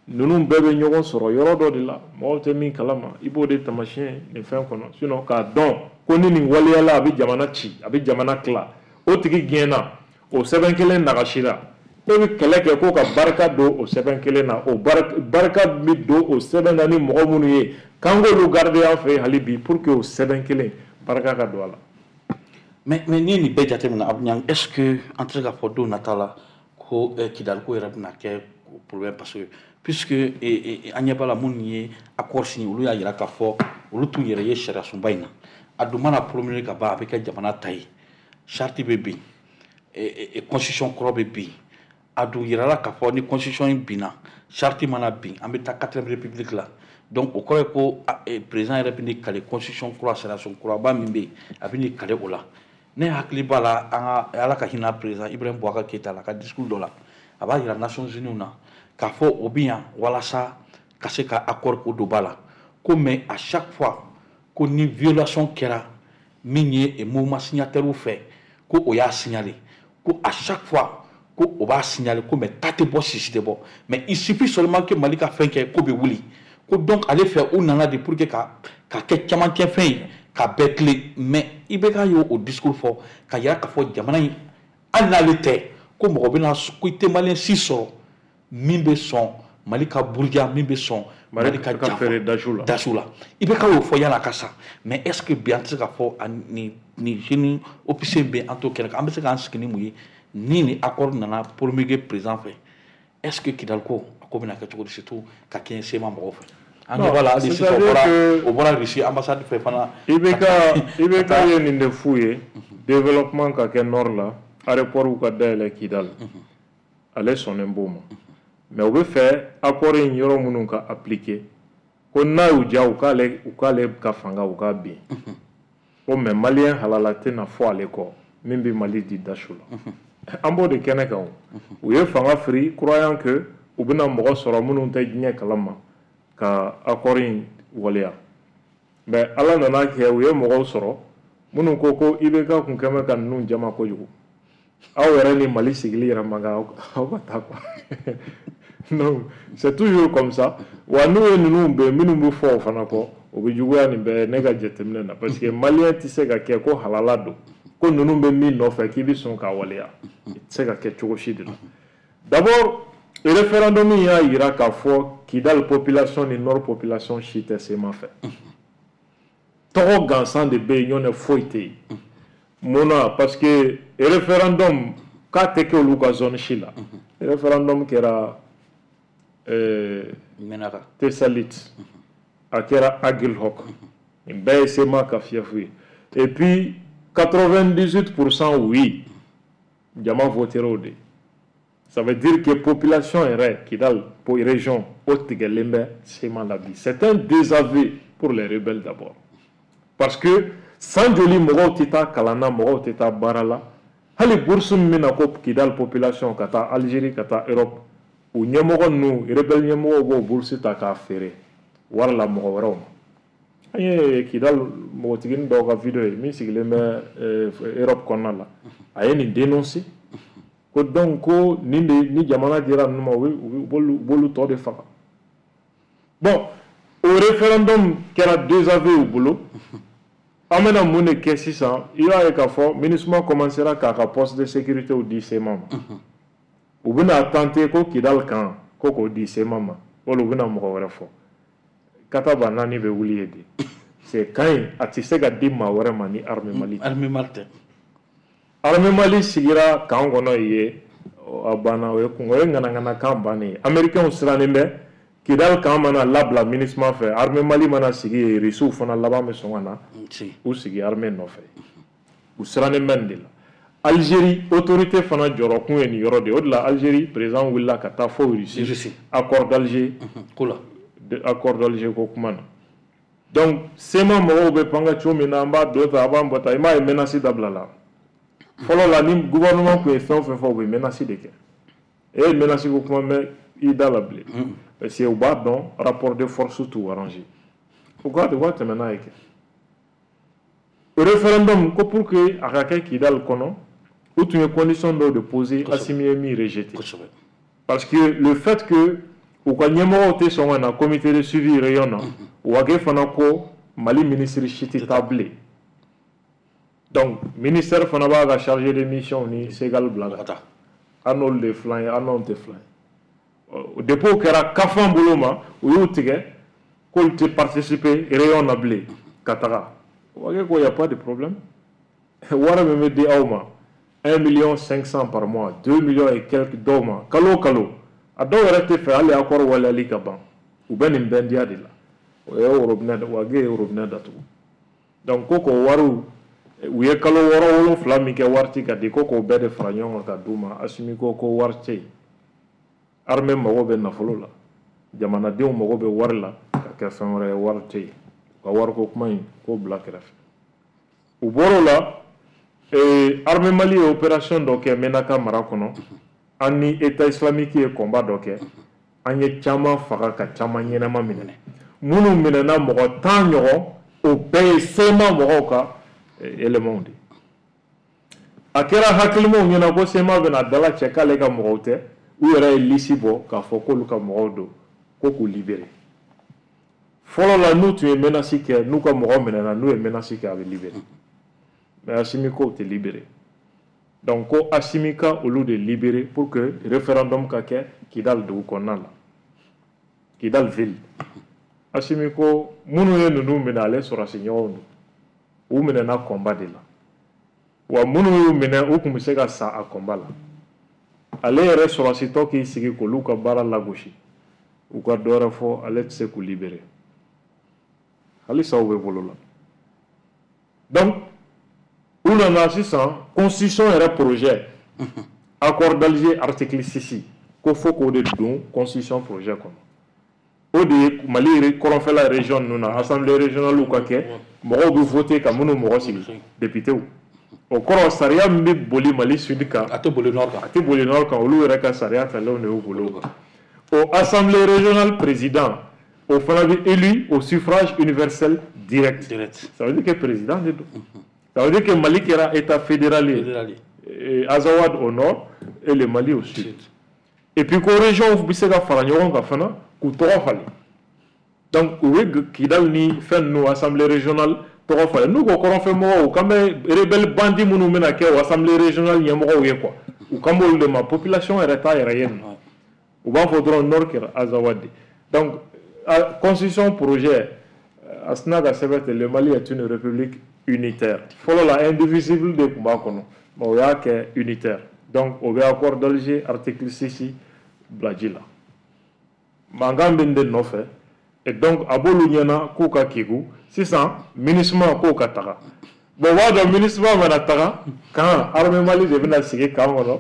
Ninnu bɛɛ bɛ ɲɔgɔn sɔrɔ yɔrɔ dɔ de la, mɔgɔw tɛ min kalama, i b'o de taamasiyɛn nin fɛn kɔnɔ. Sinon k'a dɔn ko ni nin waleyala, a bɛ jamana ci, a bɛ jamana tila, o tigi gɛnna, o sɛbɛn kelen nagasira, e bɛ kɛlɛ kɛ ko ka barika don o sɛbɛn kelen na. O barika bɛ don o sɛbɛn na ni mɔgɔ minnu ye, k'an k'olu garder an fɛ yen hali bi pour que o sɛbɛn kelen barika ka don a la. mais mais n'i ye nin bɛɛ jateminɛ, Abou Niang, est ce que an tɛ se k'a fɔ don nata la ko Kidali ko yɛrɛ bɛna kɛ problème? Parce que puisque an ɲɛ b'a la, minnu ye accord signé, olu y'a jira k'a fɔ olu t'u yɛrɛ ye sariya sunba in na. A dun mana promulguer ka ban, a bɛ kɛ jamana ta ye, charte bɛ bin, constitution kɔrɔ bɛ bin. A dun yirala k'a fɔ ni constitution in binna, charte mana bin, an bɛ taa quatrième république la. Donc o kɔrɔ ye ko président yɛrɛ bɛ n'i kale constitution kura, sariya sun kuraba min bɛ yen, a bɛ n'i kale o la. Ne hakili b'a la, an ka Ala ka hinɛ président Ibrahim Boubacar Keïta la, a ka discours dɔ la, a b'a yira Nations Unies na k'a fɔ o bɛ yan walasa ka se ka accord ko don ba la ko, mais à chaque fois ko ni violation kɛra min ye mouvement signataire fɛ, ko o y'a signaler, ko à chaque fois ko o b'a signaler ko, mais ta tɛ bɔ, sisi tɛ bɔ, mais il suffit seulement que Mali ka fɛn kɛ, ko bɛ wuli. Ko donc ale fɛ, u nana de pour que ka ka kɛ camancɛ fɛn ye ka bɛɛ tilen. Mais I B K y'o o discours fɔ ka yira k'a fɔ jamana in, hali n'ale tɛ, ko mɔgɔ bɛna ko i tɛ maliyɛn si sɔrɔ min bɛ sɔn Mali ka buruja, min bɛ sɔn Mali ka janfa dasu la. Dasu la, I B K y'o fɔ yan'a ka sa. Mais est ce que bi an tɛ se k'a fɔ nin nin jeune officier bɛ an t'o kɛnɛ kan, an bɛ se k'an sigi ni mun ye ni nin accord nana promulguer président fɛ? Est ce que Kidali ko a ko bɛna kɛ cogo di, surtout ka kɛɲɛ C M A mɔgɔw fɛ? An ɲɛ b'a la hali sisan, o bɔra o bɔra Russie ambassade fɛ fana. I B K I B K ye nin de f'u ye: développement ka kɛ nord la, aéroport ka dayɛlɛ Kidali, ale sɔnnen b'o ma. Mais u bɛ fɛ accord in yɔrɔ minnu ka appliquer, ko n'a y'u diya, u k'ale u k'ale ka fanga u k'a bin ko, mais maliyɛn halala tɛna fɔ ale kɔ min bɛ Mali di dasu la. An b'o de kɛnɛ kan. O u ye fanga firi croyant que u bɛna mɔgɔ sɔrɔ minnu tɛ diɲɛ kalama ka accord in waleya. Mais Ala nana kɛ, u ye mɔgɔw sɔrɔ minnu ko ko I B K kun kɛn bɛ ka ninnu jama kojugu, aw yɛrɛ ni Mali sigili yɛrɛ man kan, aw ka taa quoi. Donc c'est toujours comme ça. Wa n'u ye ninnu bɛn, minnu bɛ fɔ o fana kɔ, o bɛ juguya nin bɛɛ ne ka jateminɛ na, parce que maliyɛn tɛ se ka kɛ ko halala don, ko ninnu bɛ min nɔfɛ k'i bɛ sɔn k'a waleya, i tɛ se ka kɛ cogo si de la. D'abord Référendum y'a yira k'a fɔ Kidal population ni Nord population si tɛ C M A fɛ. Tɔgɔ gansan de bɛ yen, ɲɔntɛ foyi tɛ yen. Mun na? Parce que référendum k'a tɛ kɛ olu ka zone si la. Référendum kɛra euh, Menaka. Tessalit, a kɛra Aguelhok, nin bɛɛ ye C M A ka fief ye. Et puis quatre-vingt-dix-huit pour cent oui, jama votera o de. Ça veut dire que population yɛrɛ Kidal région o tigɛlen bɛ C M A la bi. C'est un désaveu pour les rebelles d'abord, parce que san joli mɔgɔw tɛ taa kalan na, mɔgɔw tɛ taa baara la, hali bourse min bɛ na ko Kidal population ka taa Algérie, ka taa Europe, u ɲɛmɔgɔ ninnu, rebelle ɲɛmɔgɔw b'o bourse ta k'a feere wari la mɔgɔ wɛrɛw ma. An ye Kidal npogotiginin dɔw ka vidéo ye min sigilen bɛ Europe kɔnɔna la, a ye nin dénoncer ko donc ko nin de ni jamana dira ninnu ma, u b'olu tɔ de faga. Bon, o référendum kɛra désaveu u bolo. An bɛna mun de kɛ sisan? I b'a ye k'a fɔ MINUSMA commencera k'a ka poste de sécurité di C M A ma. U bɛna tenter ko Kidal kan ko k'o di C M A ma, wala u bɛna mɔgɔ wɛrɛ fɔ. Kataba naani bɛ wuli ye de, c'est kan in a tɛ se ka di maa wɛrɛ ma ni armée Mali tɛ. Armée Mali tɛ. Armée Mali sigira camp kɔnɔ yen, a banna. O ye kun o ye ŋanaŋanakan bannen ye. Américains sirannen bɛ Kidal camp mana labila MINUSMA fɛ, armée Mali mana sigi yen, Russiw fana laban bɛ sɔn ka na u sigi armée nɔfɛ. U sirannen bɛ nin de la. Algérie autorité fana jɔrɔkun ye nin yɔrɔ de ye. O de la Algérie président wulila ka taa fo Russie, accord d'Alger ko la. Accord d'Alger ko kuma na. Donc C M A mɔgɔw bɛ panga cogo min na, an b'a dɔ ta, a b'an bɔ ta, i m'a ye menace dabila la. Fɔlɔ la, ni gouvernement tun ye fɛn o fɛn fɔ, u bɛ menace de kɛ. E ye menace ko kuma mɛn i da la bilen, parce que u b'a dɔn rapport de force t'u arranger. U ka u ka tɛmɛ n'a ye kɛ référendum ko pour que a ka kɛ Kidal kɔnɔ, u tun ye condition dɔw de poser, Assimi ye min rejeté, parce que le fait que u ka ɲɛmɔgɔw tɛ sɔn ka na comité de suivi réunion na, Wagué fana ko Mali ministre si tɛ taa bilen. Donc ministère fana b'a ka chargé de mission ni Segal bila ka taa, an n'olu de filan ye, an n'anw tɛ filan ye. Depuis o kɛra kafan bolo ma, u y'u tigɛ k'olu tɛ participer réunion na bilen ka taga. Wagué ko y a pas de problème, wari min bɛ di aw ma, un million cinq cent par mois, deux millions et quelques dɔw ma kalo o kalo, a dɔw yɛrɛ tɛ fɛ hali accord waleyali ka ban, u bɛ nin bɛndiya de la. O ye robinet, Wagué ye robinet datugu. Donc ko k'o wariw, u ye kalo wɔɔrɔ wolonfila min kɛ wari ti ka di, ko k'o bɛɛ de fara ɲɔgɔn kan ka d'u ma. Assimi ko ko wari tɛ yen, armée mago bɛ nafolo la, jamanadenw mago bɛ wari la ka kɛ fɛn wɛrɛ ye, wari tɛ yen. U ka wariko kuma in k'o bila kɛrɛfɛ. U bɔr'o la, armée Mali ye opération dɔ kɛ Menaka mara kɔnɔ. An ni État islamique ye combat dɔ kɛ, an ye caman faga ka caman ɲɛnama minɛ. Minnu minɛna, mɔgɔ tan ɲɔgɔn, o bɛɛ ye C M A mɔgɔw ka éléments de. A kɛra hakilimaw ɲɛna ko C M A bɛna dala cɛ k'ale ka mɔgɔw tɛ. U yɛrɛ ye liste bɔ k'a fɔ k'olu ka mɔgɔw don, ko k'u libérer. Fɔlɔ la, n'u tun ye menace kɛ, n'u ka mɔgɔ minɛna, n'u ye menace kɛ, a bɛ libérer, mais Assimi k'o tɛ libérer. Donc ko Assimi ka olu de libérer pour que référendum ka kɛ Kidal dugu kɔnɔna la, Kidal ville. Assimi ko minnu ye ninnu minɛ, ale sɔrɔsi ɲɔgɔnw don, u minɛna combat de la, wa minnu y'u minɛ, u tun bɛ se ka sa a combat la. Ale yɛrɛ sɔrɔsitɔ k'i sigi k'olu ka baara lagosi, u ka dɔ wɛrɛ fɔ, ale tɛ se k'u libérer. Halisa u bɛ bolo la. Donc u nana sisan constitution yɛrɛ projet, accord d'Alger article six, ko fo k'o de don constitution projet kɔnɔ. O de ye Mali kɔrɔnfɛla région ninnu na assemblée régionale ka kɛ, mɔgɔw bɛ voter ka minnu mɔgɔ sigi, députés. O kɔrɔ, sariya min bɛ boli Mali sud kan, a tɛ boli nord kan. A tɛ boli nord kan. Olu yɛrɛ ka sariya talenw de y'u bolo. O assemblée régionale président, o fana bɛ élu au suffrage universel direct. Direct. Ça veut dire que président de don. Ça veut dire que Mali kɛra état fédéral ye, Azawad au nord et le Mali au sud. Et puis ko région bɛ se ka fara ɲɔgɔn kan fana k'u tɔgɔ falen. Donc u bɛ Kidal ni fɛn ninnu assemblée régionale tɔgɔ falen. N'u ko kɔrɔnfɛ mɔgɔw, u kan bɛ rebelle bandit minnu bɛna kɛ o assemblée régionale ɲɛmɔgɔw ye quoi, u kan b'olu de ma. Population yɛrɛ t'a yɛrɛ ye nin. U b'a fɔ dɔrɔn nord kɛra Azawad de. Donc constitution projet a sina ka sɛbɛn ten, le Mali est une république unitaire. Fɔlɔ la indivisible de tun b'a kɔnɔ, mais o y'a kɛ unitaire. Donc o bɛ accord d'Alger article six bila ji la. Mankan bɛ nin de nɔfɛ. Et donc a b'olu ɲɛna k'u ka kegu sisan, MINUSMA k'o ka taga. Bon, o b'a dɔn MINUSMA mana taga kan, armée Mali de bɛna sigi camp kɔnɔ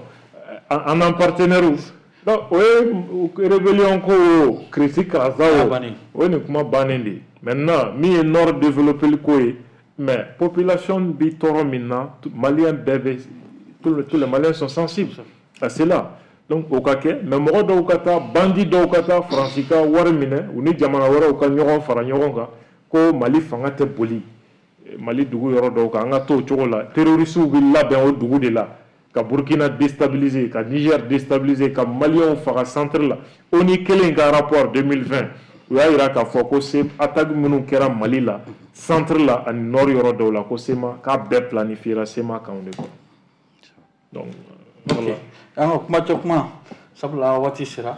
an n'an partenaires. Donc o ye rébellion ko o critique karasa o, o ye nin kuma bannen de ye. Maintenant min ye nord développé ko ye, mais population bi tɔɔrɔ min na, Malien bɛɛ bɛ, tous les Maliens sont sensibles à cela. Donc o ka kɛ, mais mɔgɔ dɔw ka taa, bandi dɔw ka taa Faransi ka wari minɛ, u ni jamana wɛrɛw ka ɲɔgɔn fara ɲɔgɔn kan ko Mali fanga tɛ boli Mali dugu yɔrɔ dɔw kan, an ka to o cogo la. Terroristes bɛ labɛn o dugu de la ka Burkina déstabiliser, ka Niger déstabiliser, ka Maliens faga centre la. ONU kelen ka rapport deux mille vingt, u y'a jira k'a fɔ ko attaque minnu kɛra Mali la centre la ani nord yɔrɔ dɔw la, ko C M A k'a bɛɛ planifiera C M A kan de kɔnɔ. Donc voilà. An ka kuma cɛ kuma, sabula waati sera,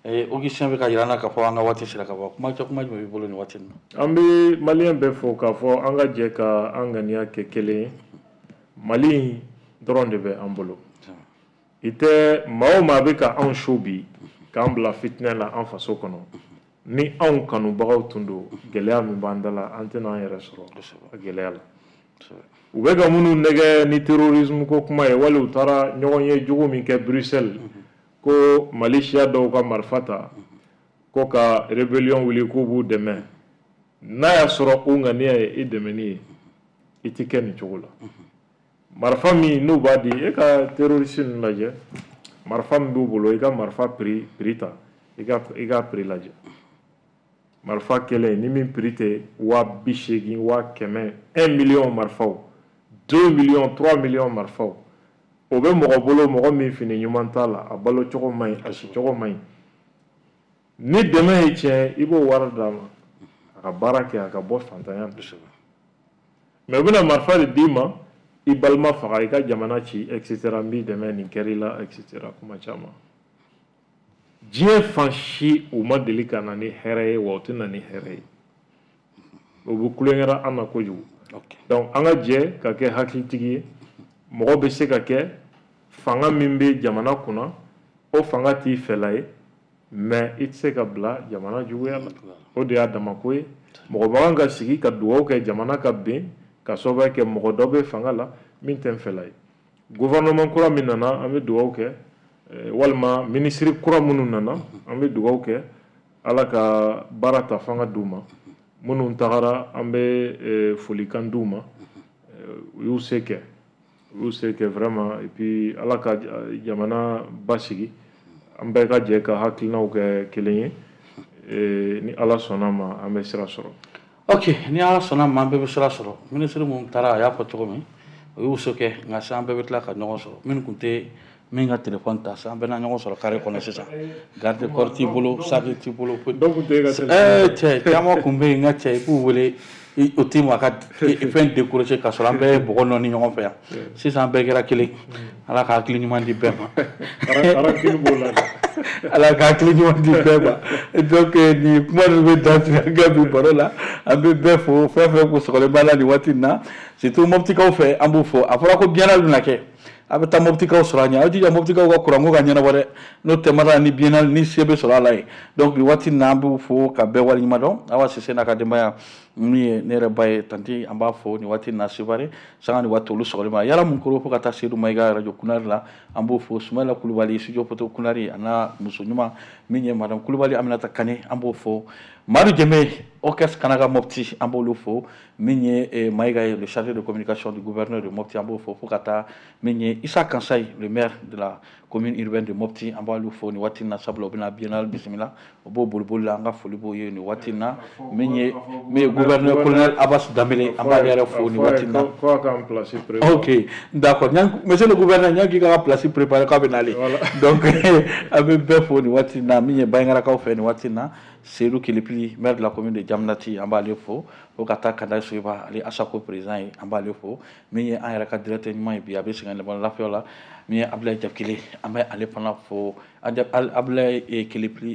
Augustin bɛ ka jira an na k'a fɔ an ka waati sera ka bɔ. Kuma cɛ kuma jumɛn b'i bolo nin waati in na? An bɛ Malien bɛɛ fo k'a fɔ an ka jɛ ka an ŋaniya kɛ kelen ye. Mali in dɔrɔn de bɛ an bolo. I tɛ maa o maa bɛ ka anw su bi k'an bila fitinɛ la an faso kɔnɔ, ni anw kanubagaw tun don, gɛlɛya min b'an da la, an tɛna an yɛrɛ sɔrɔ a gɛlɛya la. U bɛ ka minnu nɛgɛ ni terrorisme ko kuma ye, wali u taara ɲɔgɔn ye jugu min kɛ Bruxelles ko Mali siya dɔw ka marifa ta ko ka rébellion wuli k'u b'u dɛmɛ, n'a y'a sɔrɔ u ŋaniya ye i dɛmɛni ye, i tɛ kɛ nin cogo la. Marifa min n'u b'a di, e ka terroriste ninnu lajɛ, marifa min b'u bolo, i ka marifa prix prix ta, i ka i ka prix lajɛ. Marifa kelen ni min prix tɛ waa bi seegin, waa kɛmɛ, un million marifaw, deux millions, trois millions marifaw, o bɛ mɔgɔ bolo, mɔgɔ min fini ɲuman t'a la, a balo cogo man ɲi, a si cogo man ɲi. Ni dɛmɛ ye tiɲɛ, i b'o wari d'a ma a ka baara kɛ, a ka bɔ fantanya la. Mais u bɛna marifa de d'i ma, i balima faga, i ka jamana ci, et cetera, n b'i dɛmɛ nin kɛr'i la, et cetera, kuma caman. Diɲɛ fan si u ma deli ka na ni hɛrɛ ye, wa u tɛ na ni hɛrɛ ye. O bɛ kulonkɛra an na kojugu. Donc an ka jɛ ka kɛ hakilitigi ye. Mɔgɔ bɛ se ka kɛ fanga min bɛ jamana kunna, o fanga t'i fɛla ye, mais i tɛ se ka bila jamana juguya la. O de y'a damako ye. Mɔgɔ man kan ka sigi ka dugawu kɛ jamana ka bin ka sababu kɛ mɔgɔ dɔ bɛ fanga la min tɛ n fɛla ye. Gouvernement kura min nana, an bɛ dugawu kɛ, walima ministre kura minnu nana, an bɛ dugawu kɛ Ala ka baara ta fanga d'u ma. Minnu tagara, an bɛ folikan d'u ma, u y'u se kɛ, u y'u se kɛ vraiment. Et puis Ala ka jamana basigi, an bɛɛ ka jɛ ka hakilinaw kɛ kelen ye. Ni Ala sɔnna ma, an bɛ sira sɔrɔ. Ok, ni Ala sɔnna ma, an bɛɛ bɛ sira sɔrɔ. Ministre mun taara, a y'a fɔ cogo min, o y'u se kɛ, nka sisan an bɛɛ bɛ tila ka ɲɔgɔn sɔrɔ. Minnu tun tɛ min ka téléphone ta, sisan an bɛɛ na ɲɔgɔn sɔrɔ carré kɔnɔ sisan. Garde corps t'i bolo, sac t'i bolo. Dɔw tun tɛ e ka téléphone. Ɛɛ cɛ, caman tun bɛ yen, n ka cɛ, i b'u wele, o t'i ma ka fɛn décrocher, k'a sɔrɔ an bɛɛ ye bɔgɔ nɔɔni ɲɔgɔn fɛ yan. Sisan an bɛɛ kɛra kelen. Ala ka hakili ɲuman di bɛɛ ma. Rancune b'o la. Ala ka hakili ɲuman di bɛɛ ma. Donc nin kuma ninnu bɛ dan sigi an ka bi baro la. An bɛ bɛɛ fo, fɛn fɛn kun sɔgɔlen b'a la nin waati in na, surtout Moptikaw fɛ, an b'u fo. A fɔra ko biennale bɛna kɛ, a bɛ taa Moptikaw sɔrɔ a ɲɛ. Aw jija Moptikaw ka kuranko ka ɲɛnabɔ dɛ, n'o tɛ mara ni biennale ni se bɛ sɔrɔ a la yen. Donc nin waati in na, an b'u fo ka bɛɛ waleɲuman dɔn. Awa Sise n'a ka denbaya, min ye ne yɛrɛ ba ye, tanti, an b'a fo nin waati in na. Sevare sanga ni waati olu sɔgɔlen ma yala mun koro, fo ka taa Seydou Mayiga radio Kunari la, an b'o fo. Sumayila Kulubali studio photo Kunari, a n'a muso ɲuman min ye madame Kulubali Aminata Kane, an b'o fo. Madu Jɛmɛ orchestre Kanaga Mopti, an b'olu fo. Min ye Mayiga ye, le chargé de communication du gouverneur de Mopti, an b'o fo. Fo ka taa min ye Issa Kansayi, le maire de la commune urbaine de Mopti, an b'olu fo nin waati in na, sabula u bɛna biennale bisimila, o b'o boliboli la, an ka foli b'o ye nin waati in na. Min ye min ye gouverneur colonel Abbas Dambélé, an b'ale yɛrɛ fo nin waati in na. Ok, d'accord, monsieur le gouverneur, ɲan k'i ka place préparé k'a bɛ nalen. Donc an bɛ bɛɛ fo nin waati in na. Min ye Bangarakaw fɛ nin waati in na, Seydou Kelipili, maire de la commune de Jamnati, an b'ale fo. Fo ka taa Kanda Soyiba, ale Asako président ye, an b'ale fo. Min ye an yɛrɛ ka directeur ɲuman ye bi, a bɛ sɛgɛn lafiya la, Min ye Abdoulaye Diakile, an bɛ ale fana fo. Abdoulaye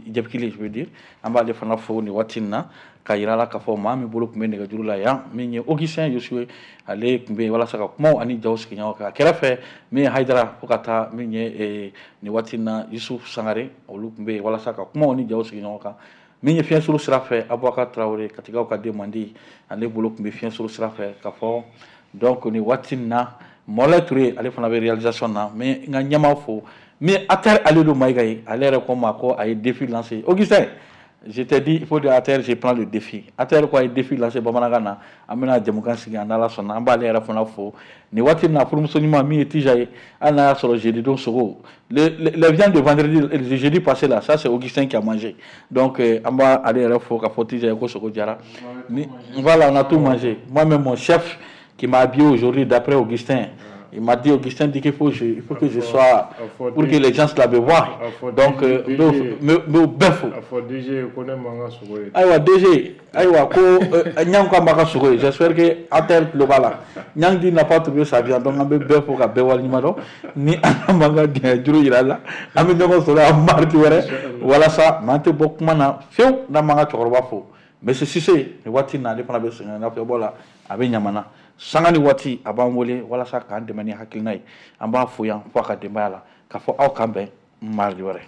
Diakile, je veux dire, an b'ale fana fo nin waati in na, ka yira la k'a fɔ maa min bolo tun bɛ nɛgɛjuru la yan, min ye Augustin Yosuwe, ale tun bɛ yen walasa ka kumaw ani jaw sigi ɲɔgɔn kan. A kɛrɛfɛ, min ye Hayidara, fo ka taa min ye nin waati in na Yusuf Sangare, olu tun bɛ yen walasa ka kumaw ni jaw sigi ɲɔgɔn kan. Min ye fiɲɛsuru sira fɛ, Abubakar Tarawele, Katigaw ka den mandi, ale bolo tun bɛ fiɲɛsuru sira fɛ ka fɔ. Donc nin waati in na, Mɔlɛ Ture, ale fana bɛ réalisation na. N bɛ n ka ɲɛmaa fo, min ye Ater Alidu Mayiga ye. Ale yɛrɛ ko n ma ko a ye défi lancé. Augustin, je t'ai dit, il faut dire Ater, je prends le défi. Ater ko a ye défi lancé bamanankan na, an bɛna jɛmukan sigi an n'Ala sɔnna. An b'ale yɛrɛ fana fo nin waati in na. Furumuso ɲuman min ye Tija ye, hali n'a y'a sɔrɔ jeudi don sogo, les les viandes de vendredi, le jeudi passé là, ça c'est Augustin qui a mangé. Donc an b'a ale yɛrɛ fo k'a fɔ Tija ye ko sogo jara ni. Voilà, on a tout mangé. Moi-même, mon chef qui m'a habillé aujourd'hui, d'après Augustin, il m'a dit, Augustin dit qu'il faut, je, il faut que je sois, pour que les gens la me voient. Donc, n bɛɛ fo. A fɔ D G ko ne man ka sogo ye. Ayiwa D G, ayiwa ko Ɲang ko a ma ka sogo ye. J'espère que Ater tulo b'a la. Ɲang dit n'a pas trouvé sa viande. Donc an bɛ bɛɛ fo ka bɛɛ waleɲuman dɔn. Ni an m'an ka gɛn juru yira la, an bɛ ɲɔgɔn sɔrɔ yan mardi wɛrɛ walasa mais an tɛ bɔ kuma na fiyewu n'an m'an ka cɛkɔrɔba fo. Monsieur Cissé, nin waati in na, ale fana bɛ sɛgɛn nafiyɛbɔ la, a bɛ Ɲamana. Sanga ni waati a b'an wele walasa k'an dɛmɛ ni hakilina ye. An b'a fo yan fo a ka denbaya la k'a fɔ aw k'an bɛn mardi wɛrɛ.